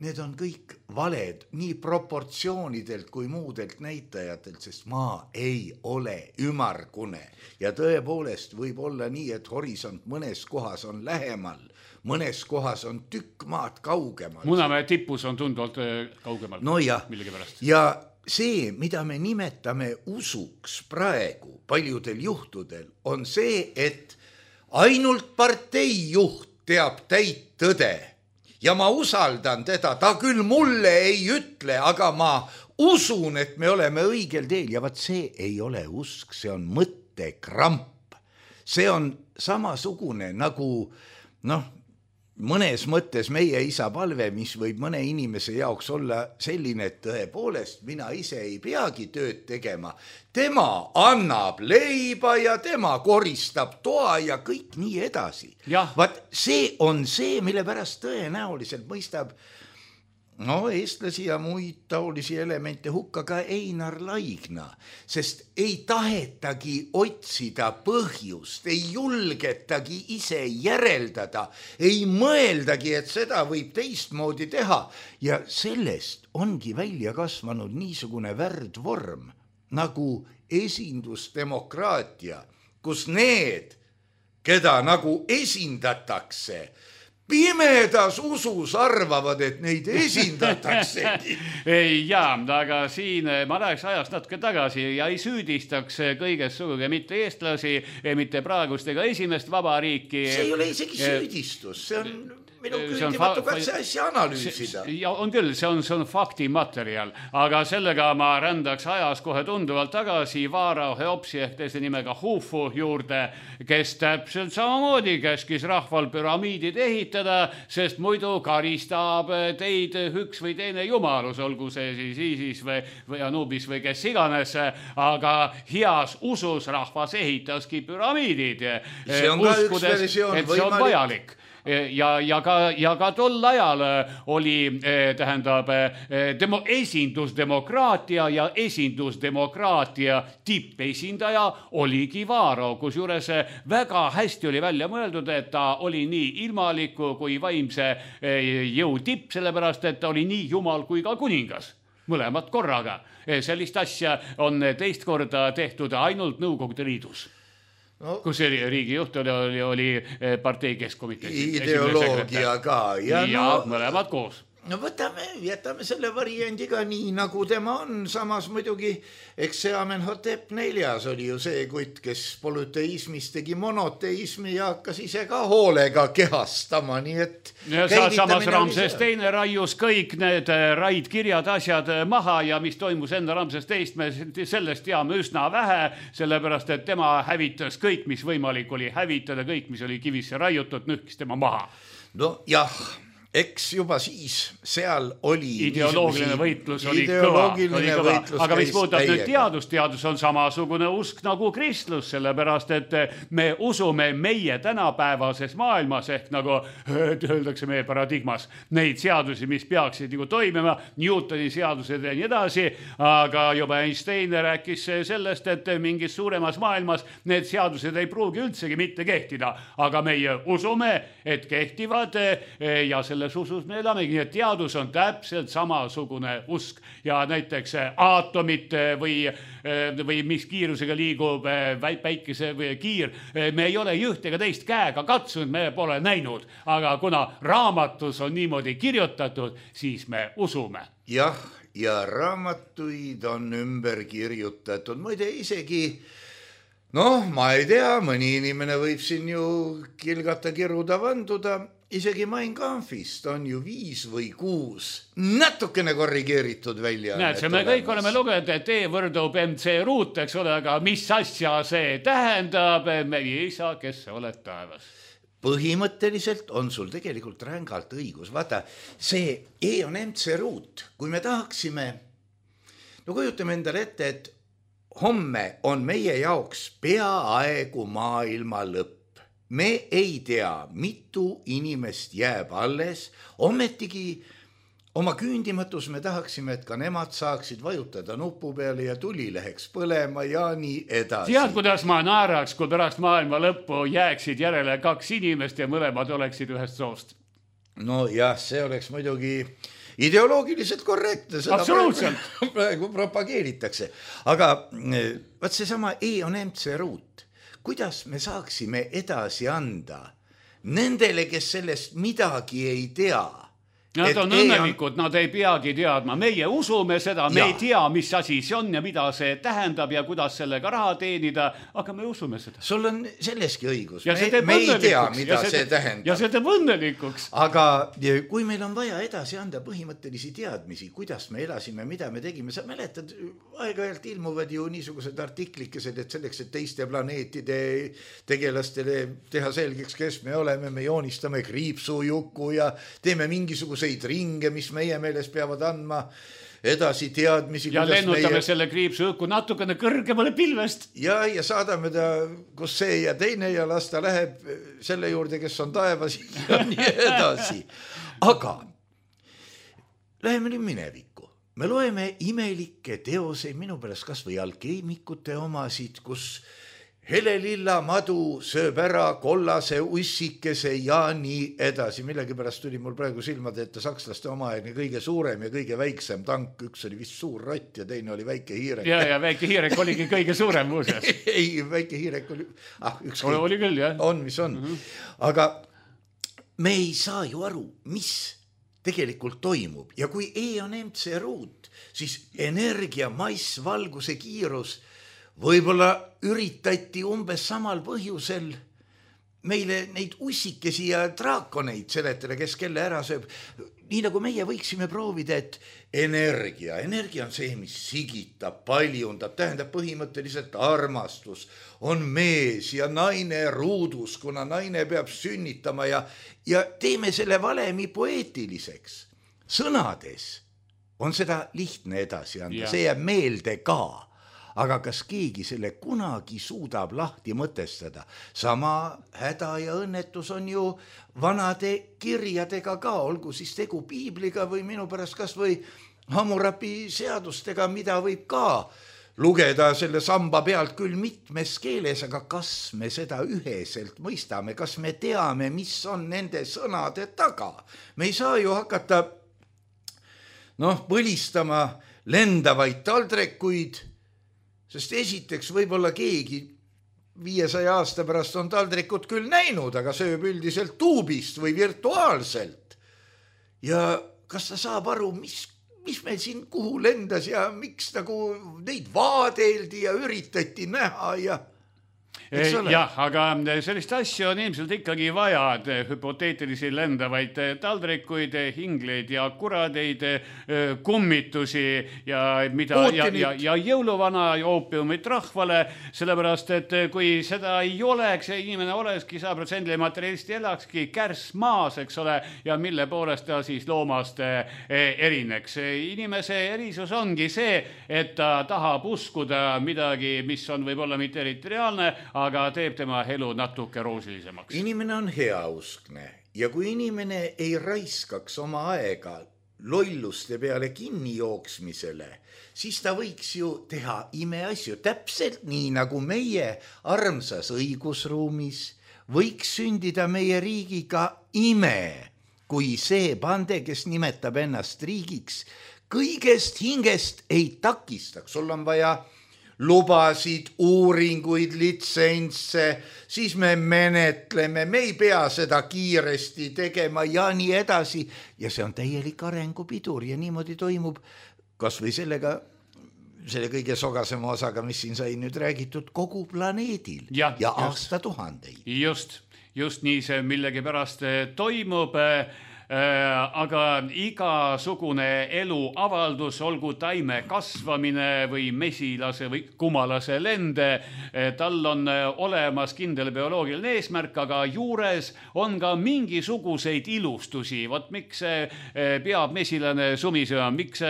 need on kõik valed nii proportsioonidelt kui muudelt näitajatelt, sest maa ei ole ümmargune. Ja tõepoolest võib olla nii, et horisont mõnes kohas on lähemal, mõnes kohas on tükk maad kaugemal. Munamäe tipus on tunduvalt kaugemal. No ja see, mida me nimetame usuks praegu paljudel juhtudel, on see, et ainult parteijuht teab täit tõde ja ma usaldan teda, ta küll mulle ei ütle, aga ma usun, et me oleme õigel teel ja vaat see ei ole usk, see on mõttekramp. See on samasugune nagu mõnes mõttes meie isa palve, mis võib mõne inimese jaoks olla selline, et tõepoolest mina ise ei peagi tööd tegema. Tema annab leiba ja tema koristab toa ja kõik nii edasi. Vaat see on see, mille pärast tõenäoliselt mõistab eestlasi ja muid taolisi elemente hukka ka Einar Laigna, sest ei tahetagi otsida põhjust, ei julgetagi ise järeldada, ei mõeldagi, et seda võib teistmoodi teha ja sellest ongi välja kasvanud niisugune värdvorm nagu esindusdemokraatia, kus need, keda nagu esindatakse, pimedas usus arvavad, et neid esindataksegi. Jaa, aga siin ma läheks ajast natuke tagasi ja ei süüdistaks kõiges sugugi mitte eestlasi, mitte praegust ega esimest vabariiki. See ei ole isegi süüdistus, see on minu küündimatu katse asja analüüsida. Ja on küll, see on faktimaterjal, aga sellega ma rändaks ajas kohe tunduvalt tagasi Vaara Heopsi ehk teise nimega Hufu juurde, kes täpselt samamoodi käskis rahval püramiidid ehitada, sest muidu karistab teid üks või teine jumalus, olgu see siis Isis või Anubis või kes iganes, aga heas usus rahvas ehitaski püramiidid. See on ka üks versioon võimalik. ja ka tol ajal oli, tähendab, esindusdemokraatia ja esindusdemokraatia tippesindaja oli Kivaro, kus juures väga hästi oli välja mõeldud, et ta oli nii ilmaliku kui vaimse jõu tipp, sellepärast, et ta oli nii jumal kui ka kuningas. Mõlemad korraga. Sellist asja on teist korda tehtud ainult Nõukogude Liidus. No, kus riigijuht oli partei keskkomitee. Ideoloogia ka. Ja mõlemad koos. No jätame selle variandiga nii, nagu tema on. Samas muidugi, eks see Amenhotep 4 oli ju see kutt, kes polüteismist tegi monoteismi ja hakkas ise ka hoolega kehastama, nii et... Ja samas Ramses II raius kõik need raidkirjad asjad maha ja mis toimus enne Ramses II, me sellest teame üsna vähe, sellepärast, et tema hävitas kõik, mis võimalik oli hävitada, kõik, mis oli kivisse raiutud, nühkis tema maha. No jah... Eks juba siis seal oli... Ideoloogiline võitlus oli kõva. Aga mis puudutab nüüd teadus on samasugune usk nagu kristlus, sellepärast, et me usume meie tänapäevases maailmas, ehk nagu öeldakse meie paradigmas, neid seadusi, mis peaksid nagu toimima, Newtoni seadused ja nii edasi, aga juba Einstein rääkis sellest, et mingis suuremas maailmas need seadused ei pruugi üldsegi mitte kehtida, aga meie usume, et kehtivad ja selle usus me elamegi, nii et teadus on täpselt samasugune usk ja näiteks aatomit või mis kiirusega liigub päikese või kiir, me ei ole üht ega teist käega katsunud, me pole näinud, aga kuna raamatus on niimoodi kirjutatud, siis me usume. Jah, ja raamatuid on ümber kirjutatud, muide isegi ma ei tea, mõni inimene võib siin ju kilgata, kiruda, vanduda, isegi Mein Kampfist on ju 5 või 6 natukene korrigeeritud välja. Näed, me kõik oleme lugenud, et E võrdub MC ruut, eks ole, aga mis asja see tähendab, meie isa, kes sa oled taevas? Põhimõtteliselt on sul tegelikult rängalt õigus. Vaata, see E on MC ruut. Kui me tahaksime, kujutame endale ette, et homme on meie jaoks peaaegu maailma lõpp. Me ei tea, mitu inimest jääb alles, ometigi oma küündimatus me tahaksime, et ka nemad saaksid vajutada nupu peale ja tuli läheks põlema ja nii edasi. Tead, kuidas ma naeraks, kui pärast maailma lõppu jääksid järele 2 inimest ja mõlemad oleksid ühest soost? No jah, see oleks muidugi ideoloogiliselt korrektne. Absoluutselt. Praegu propageeritakse. Aga vaat seesama E on MC ruut. Kuidas me saaksime edasi anda nendele, kes sellest midagi ei tea? Nad on õnnelikud, nad ei peagi teadma. Meie usume seda, me ei tea, mis asi see on ja mida see tähendab ja kuidas sellega raha teenida, aga me usume seda. Sul on selleski õigus. Me ei tea, mida see tähendab. Ja see teeb õnnelikuks. Aga kui meil on vaja edasi anda põhimõttelisi teadmisi, kuidas me elasime, mida me tegime, sa mäletad, aeg-ajalt ilmuvad ju niisugused artiklikesed, et selleks, et teiste planeetide tegelastele teha selgeks, kes me oleme, me joonistame kriipsujuku ja teeme mingisuguse ringe, mis meie meeles peavad andma edasi teadmisi. Ja lennutame selle kriipsu õhku natukene kõrgemale pilvest. Ja saadame ta, kus see ja teine ja las ta läheb selle juurde, kes on taevas ja nii edasi. Aga läheme nüüd minevikku. Me loeme imelikke teoseid, minu pärast kas või alkeemikute omasid, kus helelilla madu sööb ära kollase ussikese ja nii edasi. Millegi pärast tuli mul praegu silmade ette sakslaste omaaegne kõige suurem ja kõige väiksem tank. Üks oli vist suur rott ja teine oli väike hiirek. Ja väike hiirek oligi kõige suurem muuseas. Ei, väike hiirek oli... oli küll, jah. On, mis on. Aga me ei saa ju aru, mis tegelikult toimub. Ja kui E on MC ruut, siis energia, mass, valguse kiirus võib-olla üritati umbes samal põhjusel meile neid ussikesi ja draakoneid seletada, kes kelle ära sööb. Nii nagu meie võiksime proovida, et energia on see, mis sigitab, paljundab, tähendab põhimõtteliselt armastus. On mees ja naine ruudus, kuna naine peab sünnitama ja teeme selle valemi poeetiliseks. Sõnades on seda lihtne edasi anda, see jääb meelde ka. aga kas keegi selle kunagi suudab lahti mõtestada? Sama häda ja õnnetus on ju vanade kirjadega ka, olgu siis tegu piibliga või minu pärast kas või Hammurapi seadustega, mida võib ka lugeda selle samba pealt küll mitmes keeles, aga kas me seda üheselt mõistame, kas me teame, mis on nende sõnade taga? Me ei saa ju hakata põlistama lendavaid taldrekuid, sest esiteks võib-olla keegi 500 aasta pärast on taldrikut küll näinud, aga sööb üldiselt tuubist või virtuaalselt. Ja kas ta saab aru, mis meil siin kuhu lendas ja miks nagu neid vaadeldi ja üritati näha ja... Jah, aga sellist asju on ilmselt ikkagi vaja, hüpoteetilisi lendavaid taldrikuid, hingleid ja kuradeid, kummitusi ja jõuluvana ja oopiumit rahvale, sellepärast, et kui seda ei oleks, inimene olekski 100% materialisti elakski kärss maas, eks ole, ja mille poolest ta siis loomast erineks. Inimese erisus ongi see, et ta tahab uskuda midagi, mis on võib-olla mitte eriti reaalne, aga teeb tema elu natuke roosilisemaks. Inimene on heauskne ja kui inimene ei raiskaks oma aega lolluste peale kinni jooksmisele, siis ta võiks ju teha imeasju, täpselt nii nagu meie armsas õigusruumis võiks sündida meie riigiga ime, kui see pande, kes nimetab ennast riigiks, kõigest hingest ei takistaks. Sul on vaja lubasid, uuringuid, litsentse, siis me menetleme, me ei pea seda kiiresti tegema ja nii edasi. Ja see on täielik arengupidur ja niimoodi toimub kas või selle kõige sogasema osaga, mis siin sai nüüd räägitud, kogu planeedil ja aastatuhandeid. Just nii see millegipärast toimub. Aga igasugune eluavaldus, olgu taime kasvamine või mesilase või kumalase lende, tal on olemas kindel bioloogiline eesmärk, aga juures on ka mingisuguseid ilustusi. Vot miks peab mesilane sumisema, miks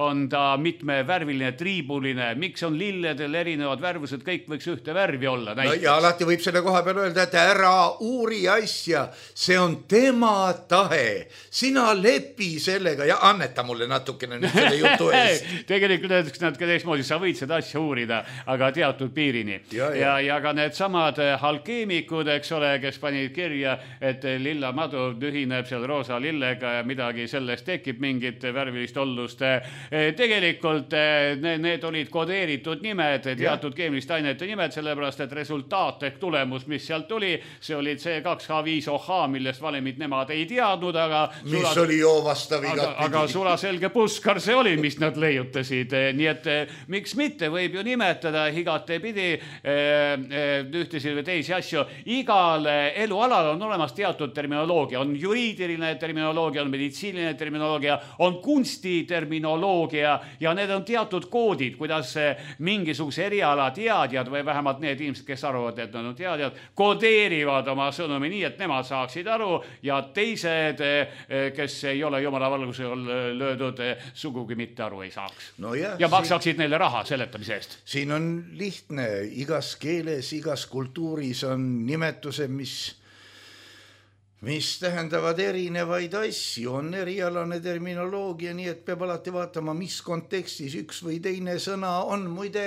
on ta mitmevärviline, triibuline, miks on lilledel erinevad värvused, kõik võiks ühte värvi olla. No ja alati võib selle koha peal öelda, et ära uuri asja, see on tema tahe. Sina lepi sellega ja anneta mulle natukene nüüd selle jutu eest. Tegelikult öeldaks nad ka teismoodi, sa võid seda asja uurida, aga teatud piirini. Ja ka need samad alkeemikud, eks ole, kes panid kirja, et lilla madu ühineb seal roosa lillega ja midagi sellest tekib mingit värvilist ollust. Tegelikult need olid kodeeritud nimed, teatud keemiliste ainete nimed, sellepärast, et resultaat ehk tulemus, mis sealt tuli, see oli C2H5OH, millest valemid nemad ei teadnud, mis oli joovastav igatpidi. Aga sulaselge puskar see oli, mis nad leiutasid. Nii et miks mitte, võib ju nimetada igatepidi ühtesid või teisi asju. Igal elualal on olemas teatud terminoloogia. On juriidiline terminoloogia, on meditsiiniline terminoloogia, on kunstiterminoloogia ja need on teatud koodid, kuidas mingisuguse eriala teadjad või vähemalt need inimesed, kes arvavad, et nad on teadjad, kodeerivad oma sõnumi nii, et nemad saaksid aru ja teised, kes ei ole jumala valgusel löödud, sugugi mitte aru ei saaks. Ja maksaksid neile raha seletamise eest. Siin on lihtne, igas keeles, igas kultuuris on nimetused, mis tähendavad erinevaid asju, on erialane terminoloogia, nii et peab alati vaatama, mis kontekstis üks või teine sõna on. Muide,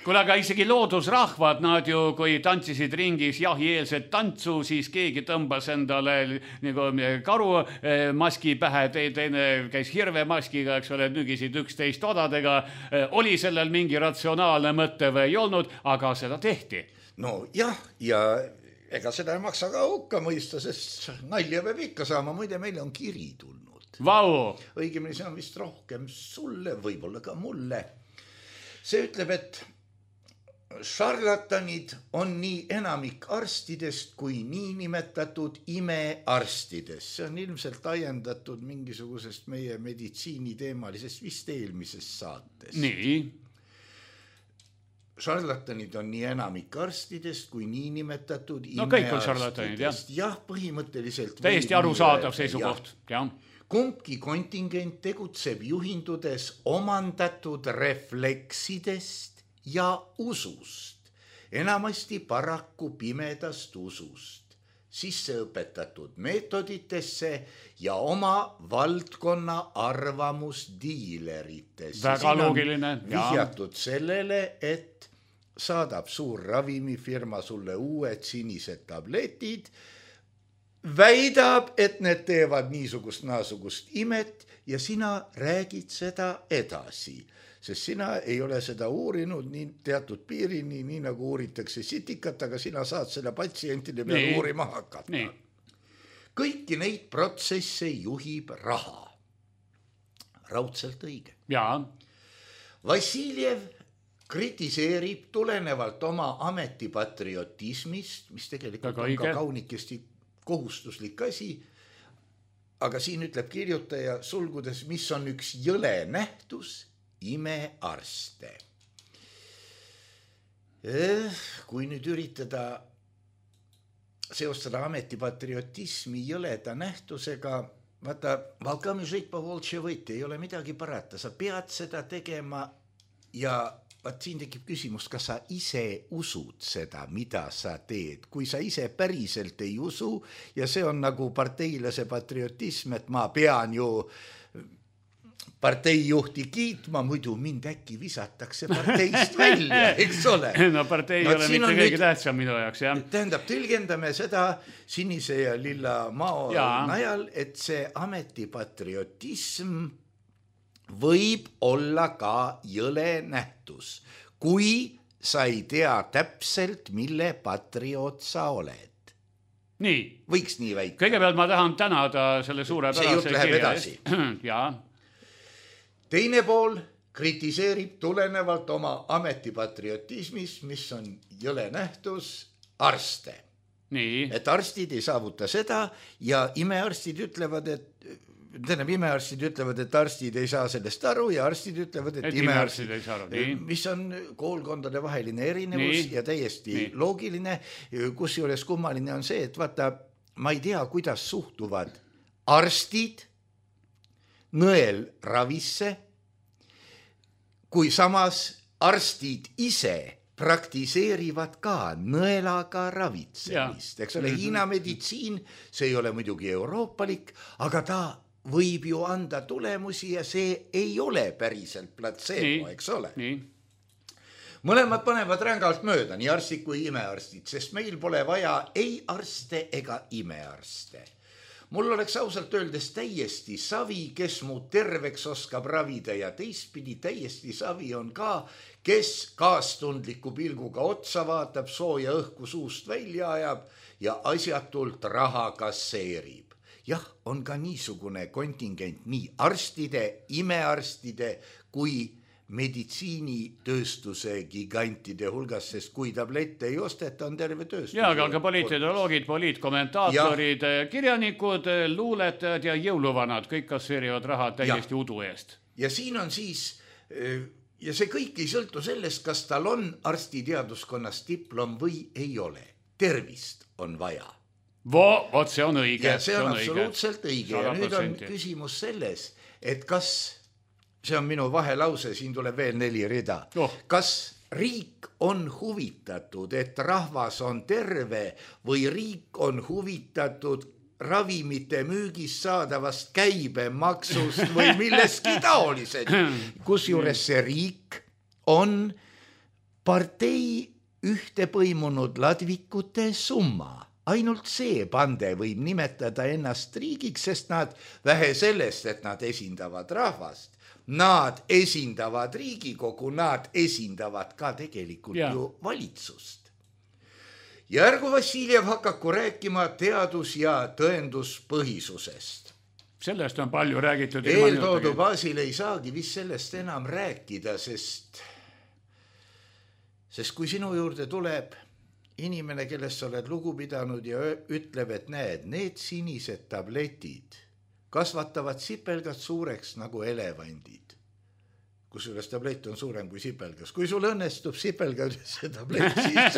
kuule, aga isegi loodusrahvad, nad ju, kui tantsisid ringis jahieelset tantsu, siis keegi tõmbas endale nagu karu maski pähe, teine käis hirvemaskiga, eks ole, nügisid üksteist odadega. Oli sellel mingi ratsionaalne mõte või ei olnud, aga seda tehti. No jah, ja ega seda ei maksa ka hukka mõista, sest nalja peab ikka saama. Muide, meile on kiri tulnud. Vau! Õigemini see on vist rohkem sulle, võib-olla ka mulle. See ütleb, et šarlatanid on nii enamik arstidest kui niinimetatud imearstidest. See on ilmselt ajendatud mingisugusest meie meditsiiniteemalisest vist eelmisest saates. Nii. Šarlatanid on nii enamik arstidest kui niinimetatud imearstidest. No kõik on šarlatanid, jah. Jah, põhimõtteliselt. Täiesti arusaadav seisukoht, jah. Kumbki kontingent tegutseb juhindudes omandatud refleksidest ja usust, enamasti paraku pimedast usust, sisseõpetatud meetoditesse ja oma valdkonna arvamusdiileritesse. Väga loogiline. Vihjatud sellele, et saadab suur ravimifirma sulle uued sinised tabletid, väidab, et need teevad niisugust-naasugust imet ja sina räägid seda edasi, sest sina ei ole seda uurinud nii teatud piirini, nii nagu uuritakse sitikat, aga sina saad selle patsientide peale uurima hakata. Nii. Kõiki neid protsesse juhib raha. Raudselt õige. Jaa. Vassiljev kritiseerib tulenevalt oma ametipatriotismist, mis tegelikult on ka kaunikesti kohustuslik asi, aga siin ütleb kirjutaja sulgudes, mis on üks jõle nähtus, imearste. Kui nüüd üritada seostada ametipatriotismi jõleda nähtusega, vaata, valkami žit po voltše võti, ei ole midagi parata, sa pead seda tegema ja vaat siin tekib küsimus, kas sa ise usud seda, mida sa teed. Kui sa ise päriselt ei usu ja see on nagu parteilase patriotism, et ma pean ju parteijuhti kiitma, muidu mind äkki visatakse parteist välja, eks ole. No partei ei ole mitte kõige tähtsam minu jaoks, jah. Tähendab, tõlgendame seda sinise ja lilla mao najal, et see ametipatriotism võib olla ka jõle nähtus, kui sa ei tea täpselt, mille patrioot sa oled. Nii. Võiks nii väita. Kõigepealt ma tahan tänada selle suurepärase kirja eest. Jaa. Teine pool kritiseerib tulenevalt oma ametipatriotismist, mis on jõle nähtus, arste. Nii. Et arstid ei saavuta seda ja imearstid ütlevad, et arstid ei saa sellest aru ja arstid ütlevad, et imearstid ei saa aru. Mis on koolkondade vaheline erinevus ja täiesti loogiline, kusjuures kummaline on see, et vaata, ma ei tea, kuidas suhtuvad arstid nõelravisse, kui samas arstid ise praktiseerivad ka nõelaga ravitsemist. Eks ole, Hiina meditsiin, see ei ole muidugi euroopalik, aga ta võib ju anda tulemusi ja see ei ole päriselt platseebo, eks ole. Mõlemad panevad rängalt mööda, nii arstid kui imearstid, sest meil pole vaja ei arste ega imearste. Mul oleks ausalt öeldes täiesti savi, kes mu terveks oskab ravida ja teistpidi täiesti savi on ka, kes kaastundliku pilguga otsa vaatab, sooja õhku suust välja ajab ja asjatult raha kasseerib. Jah, on ka niisugune kontingent nii arstide, imearstide kui meditsiinitööstuse gigantide hulgas, sest kui tablette ei osteta, on terve tööstus. Ja, aga ka poliitideoloogid, poliitkommentaatorid, kirjanikud, luuletajad ja jõuluvanad, kõik kasseerivad raha täiesti udu eest. Ja siin on siis, ja see kõik ei sõltu sellest, kas tal on arstiteaduskonnas diplom või ei ole. Tervist on vaja. Vot see on õige. Ja see on absoluutselt õige. Ja nüüd on küsimus selles, et kas, see on minu vahelause, siin tuleb veel 4 rida, kas riik on huvitatud, et rahvas on terve või riik on huvitatud ravimite müügist saadavast käibemaksust või milleski taolised. Kusjuures see riik on partei ühte põimunud ladvikute summa. Ainult see pande võib nimetada ennast riigiks, sest nad vähe sellest, et nad esindavad rahvast, nad esindavad Riigikogu, nad esindavad ka tegelikult ju valitsust. Ja ärgu Vassiljev hakaku rääkima teadus- ja tõenduspõhisusest. Sellest on palju räägitud. Eeltoodu baasil ei saagi vist sellest enam rääkida, sest kui sinu juurde tuleb inimene, kellest sa oled lugu pidanud ja ütleb, et näed, need sinised tabletid kasvatavad sipelgad suureks nagu elevandid. Kusjuures tablett on suurem kui sipelgas. Kui sul õnnestub sipelgase tablett, siis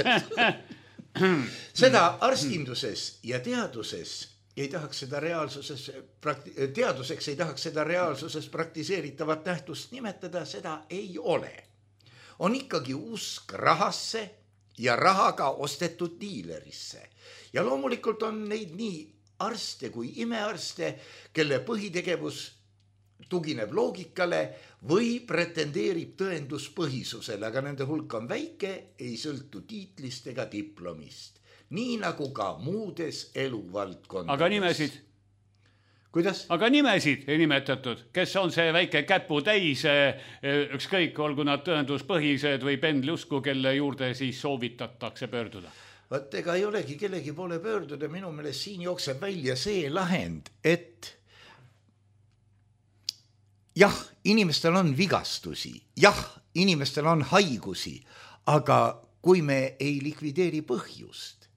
seda arstinduses ja teaduses ei tahaks seda teaduseks ei tahaks seda reaalsuses praktiseeritavat nähtust nimetada, seda ei ole. on ikkagi usk rahasse ja rahaga ostetud diilerisse. Ja loomulikult on neid nii arste kui imearste, kelle põhitegevus tugineb loogikale või pretendeerib tõenduspõhisusele, aga nende hulk on väike, ei sõltu tiitlist ega diplomist. Nii nagu ka muudes eluvaldkondades. Aga nimesid? Kuidas? Aga nimesid ei nimetatud. Kes on see väike käpu täis, ükskõik, olgu nad tõenduspõhised või pendlusku, kelle juurde siis soovitatakse pöörduda? Vaat ega ei olegi kellegi poole pöörduda, minu meelest siin jookseb välja see lahend, et jah, inimestel on vigastusi, jah, inimestel on haigusi, aga kui me ei likvideeri põhjust,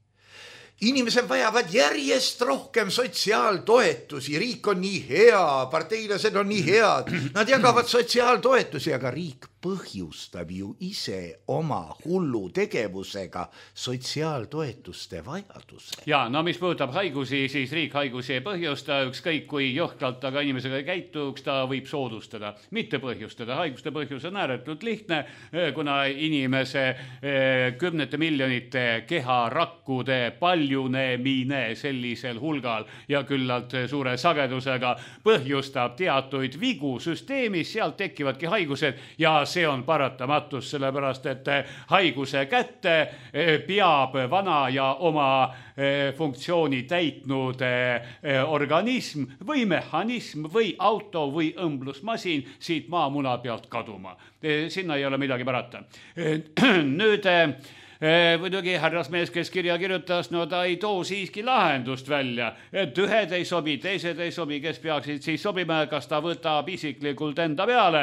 inimesed vajavad järjest rohkem sotsiaaltoetusi, riik on nii hea, parteilased on nii head, nad jagavad sotsiaaltoetusi, aga riik põhjustab ju ise oma hullu tegevusega sotsiaaltoetuste vajaduse. Ja, no mis puudutab haigusi, siis riik haigusi ei põhjusta, ükskõik kui jõhkralt aga inimesega käituks, ta võib soodustada, mitte põhjustada. Haiguste põhjus on ääretult lihtne, kuna inimese 10 miljonite keharakkude paljunemine sellisel hulgal ja küllalt suure sagedusega põhjustab teatuid vigu süsteemis, sealt tekivadki haigused ja see on paratamatus, sellepärast et haiguse kätte peab vana ja oma funktsiooni täitnud organism või mehhanism või auto või õmblusmasin siit maamuna pealt kaduma. Sinna ei ole midagi parata. Nüüd muidugi härrasmees, kes kirja kirjutas, no ta ei too siiski lahendust välja, et ühed ei sobi, teised ei sobi, kes peaksid siis sobima, kas ta võtab isiklikult enda peale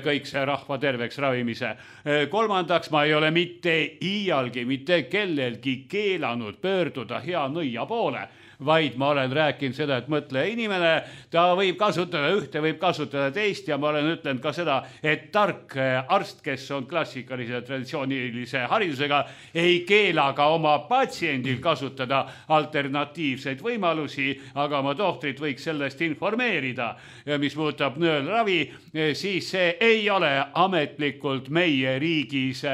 kõik see rahva terveks ravimise. Kolmandaks, ma ei ole mitte iialgi, mitte kellelgi keelanud pöörduda hea nõia poole, vaid ma olen rääkinud seda, et mõtle inimene, ta võib kasutada ühte, võib kasutada teist ja ma olen ütlenud ka seda, et tark arst, kes on klassikalise traditsioonilise haridusega, ei keela ka oma patsiendil kasutada alternatiivseid võimalusi, aga oma tohtrit võiks sellest informeerida. Ja mis puudutab nõelravi, siis see ei ole ametlikult meie riigis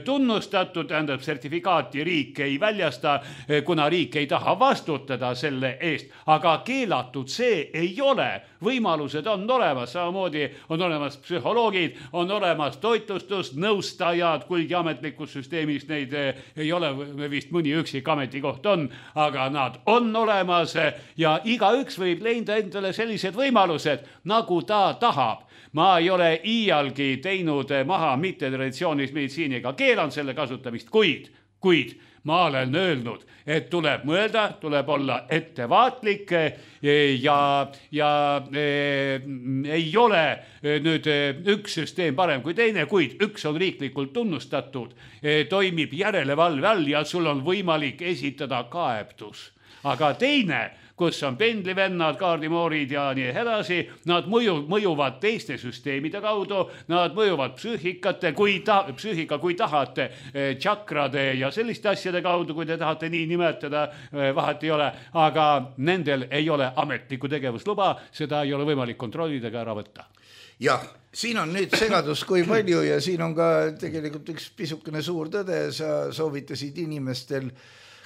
tunnustatud, tähendab sertifikaati riik ei väljasta, kuna riik ei taha vastutada selle eest, aga keelatud see ei ole. Võimalused on olemas, samamoodi on olemas psühholoogid, on olemas toitlustusnõustajad, kuigi ametlikus süsteemis neid ei ole, vist mõni üksik ametikoht on, aga nad on olemas ja igaüks võib leida endale sellised võimalused, nagu ta tahab. Ma ei ole iialgi teinud maha mitte traditsioonilist meditsiiniga, keelan selle kasutamist, kuid ma olen öelnud, et tuleb mõelda, tuleb olla ettevaatlik ja ei ole nüüd üks süsteem parem kui teine, kuid üks on riiklikult tunnustatud, toimib järelevalve all ja sul on võimalik esitada kaebtus. Aga teine, kus on pendlivennad, kaardimoorid ja nii edasi, nad mõjuvad teiste süsteemide kaudu, nad mõjuvad psüühika, kui tahate, tšakrade ja selliste asjade kaudu, kui te tahate nii nimetada, vahet ei ole, aga nendel ei ole ametlikku tegevusluba, seda ei ole võimalik kontrollida ega ära võtta. Jah, siin on nüüd segadus kui palju ja siin on ka tegelikult üks pisukene suur tõde, sa soovitasid inimestel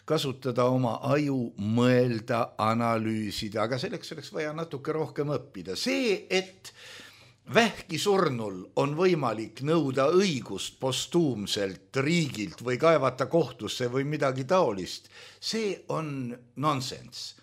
kasutada oma aju, mõelda, analüüsida, aga selleks oleks vaja natuke rohkem õppida. See, et vähki surnul on võimalik nõuda õigust postuumselt riigilt või kaevata kohtusse või midagi taolist, see on nonsense.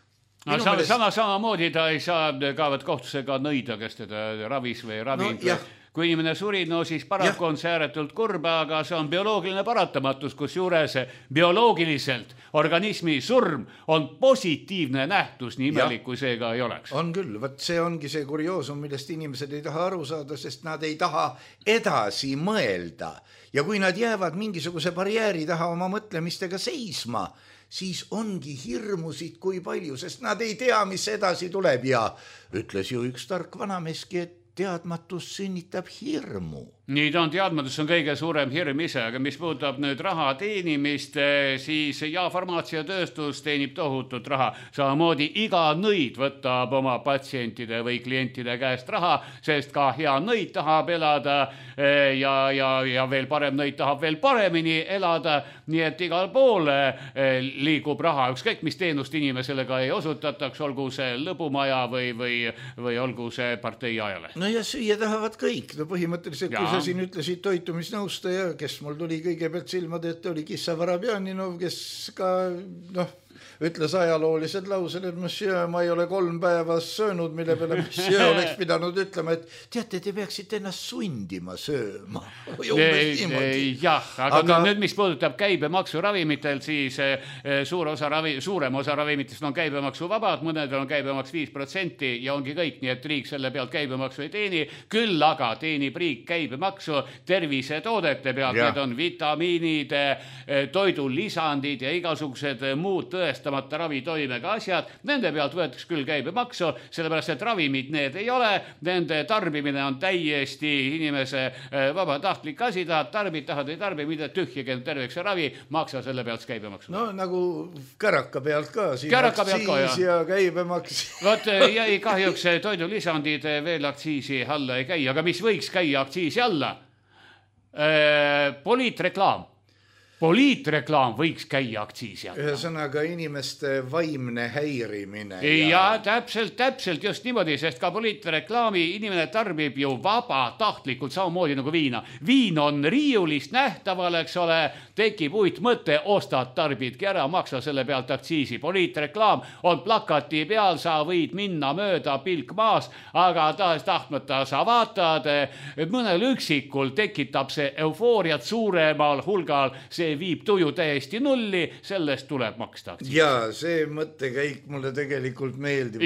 No, samamoodi ta ei saa kaevat kohtusega nõida, kes teda ravis või ravinud. No, kui inimene suri, no siis paraku on see ääretult kurba, aga see on bioloogiline paratamatus, kus juures bioloogiliselt organismi surm on positiivne nähtus, nii imelik kui see ka ei oleks. On küll, võt see ongi see kurioosum, millest inimesed ei taha aru saada, sest nad ei taha edasi mõelda. Ja kui nad jäävad mingisuguse barjääri taha oma mõtlemistega seisma, siis ongi hirmusid kui palju, sest nad ei tea, mis edasi tuleb ja ütles ju üks tark vanameski, et teadmatus sünnitab hirmu. nii ta on, teadmatus on kõige suurem hirm ise, aga mis puudutab nüüd raha teenimist, siis farmaatsiatööstus teenib tohutut raha. Samamoodi iga nõid võtab oma patsientide või klientide käest raha, sest ka hea nõid tahab elada ja veel parem nõid tahab veel paremini elada, nii et igal pool liigub raha, ükskõik mis teenust inimesele ka ei osutataks, olgu see lõbumaja või olgu see partei ajale. No ja süüa tahavad kõik, no põhimõtteliselt kui sa siin ütlesid toitumisnõustaja, kes mul tuli kõigepealt silmade, et oli Kissa Varabjaninov, kes ka ütles ajaloolised laused, et monsieur, ma ei ole 3 päeva söönud, mille peale monsieur oleks pidanud ütlema, et teate, te peaksite ennast sundima sööma. Jah, aga nüüd, mis puudutab käibemaksu ravimitel, siis suurem osa ravimitest on käibemaksu vabad, mõnedel on käibemaks 5% ja ongi kõik, nii et riik selle pealt käibemaksu ei teeni, küll aga teenib riik käibemaksu tervisetoodete pealt, need on vitamiinid, toidulisandid ja igasugused muud tõestamata ravitoimega asjad, nende pealt võetakse küll käibemaksu, sellepärast et ravimid need ei ole, nende tarbimine on täiesti inimese vabatahtlik asi, tahad ei tarbi, mida tühjagi terveks ravi, maksa selle pealt käibemaksu. No nagu käraka pealt ka, siin aktsiis ja käibemaks. Vot jäi kahjuks toidulisandid veel aktsiisi alla ei käi, aga mis võiks käia aktsiisi alla? Poliitreklaam võiks käia aktsiisi alla. Ühesõnaga inimeste vaimne häirimine. Ja täpselt just niimoodi, sest ka poliitreklaami inimene tarbib ju vabatahtlikult samamoodi nagu viina. Viin on riiulist nähtaval, eks ole, tekib uitmõte, ostad, tarbidki ära, maksa selle pealt aktsiisi. Poliitreklaam on plakati peal, sa võid minna mööda pilk maas, aga tahtmata sa vaatad, mõnel üksikul tekitab see eufooriat suuremal hulgal, see viib tuju täiesti nulli, sellest tuleb maksta aktsiisi. Jaa, see mõttekäik mulle tegelikult meeldib.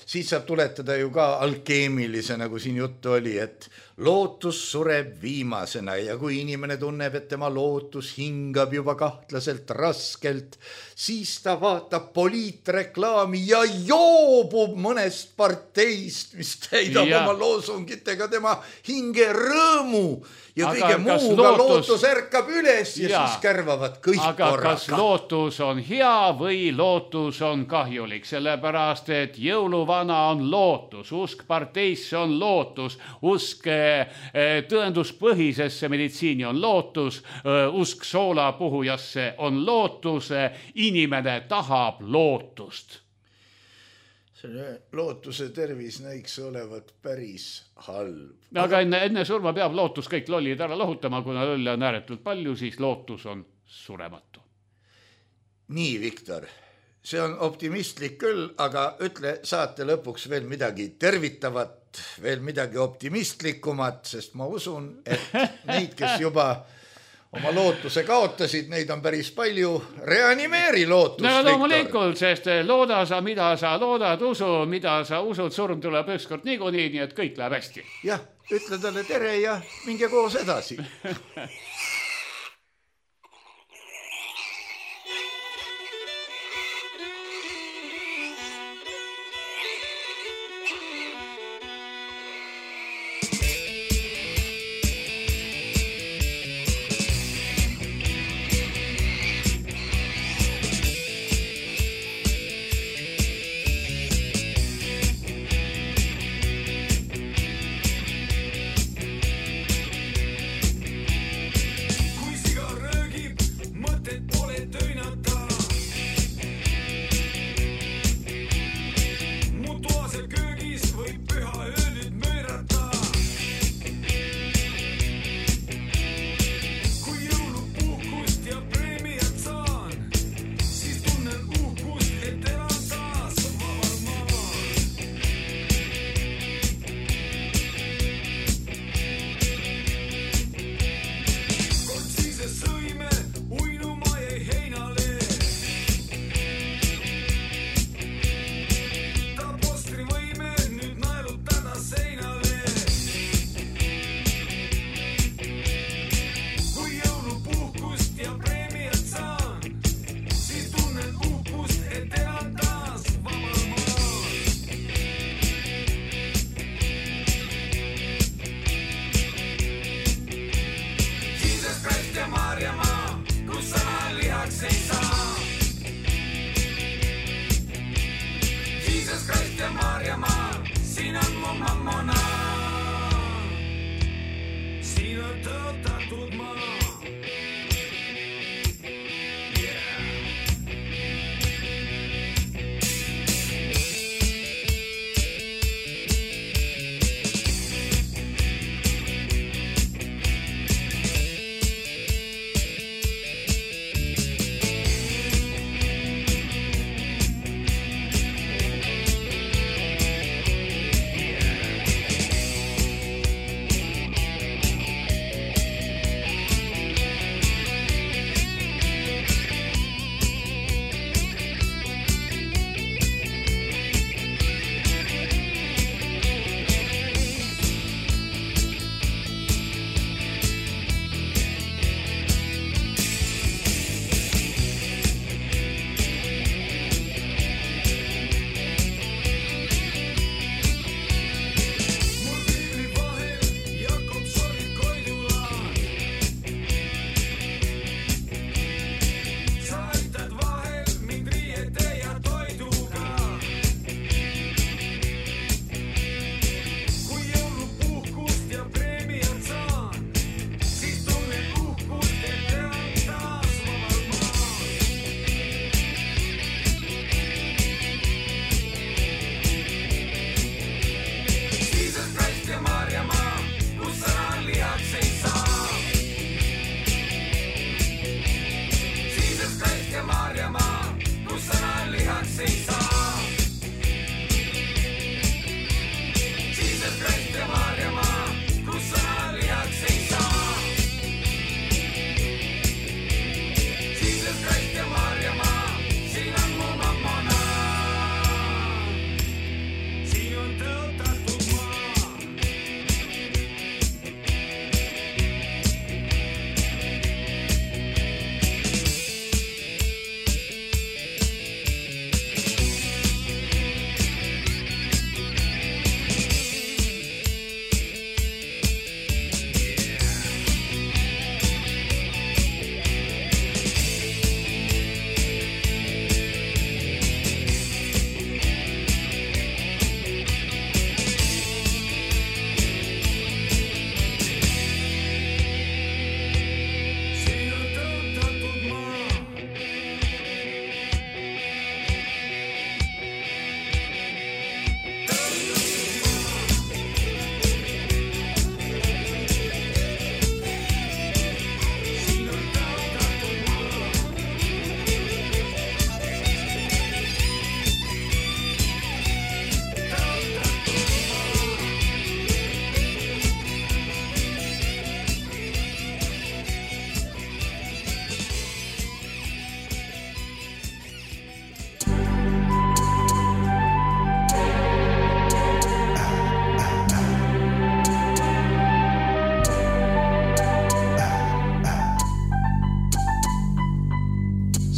Siis saab tuletada ju ka alkeemilise, nagu siin juttu oli, et lootus sureb viimasena ja kui inimene tunneb, et tema lootus hingab juba kahtlaselt raskelt, siis ta vaatab poliitreklaami ja joobub mõnest parteist, mis täidab oma loosungitega tema hinge rõõmu ja kõige muuga lootus ärkab üles ja siis kärvavad kõik korraga. Aga kas lootus on hea või lootus on kahjulik, sellepärast et jõuluvana on lootus, usk parteisse on lootus, usk tõenduspõhisesse meditsiini on lootus, usk soolapuhujasse on lootus, inimene tahab lootust. Selle lootuse tervis näiks olevat päris halb. Aga enne surma peab lootus kõik lollid ära lohutama, kuna lolle on ääretult palju, siis lootus on surematu. Nii, Viktor, see on optimistlik küll, aga ütle saate lõpuks veel midagi tervitavat, veel midagi optimistlikumat, sest ma usun, et neid, kes juba oma lootuse kaotasid, neid on päris palju. Reanimeeri lootust, Viktor. Loomulikult, sest looda sa, mida sa loodad, usu, mida sa usud, surm tuleb ükskord niikuinii, nii et kõik läheb hästi. Jah, ütle talle tere ja minge koos edasi.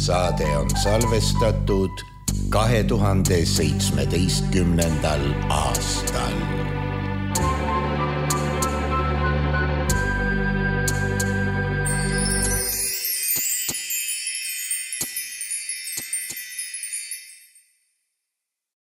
Saade on salvestatud 2017. aastal.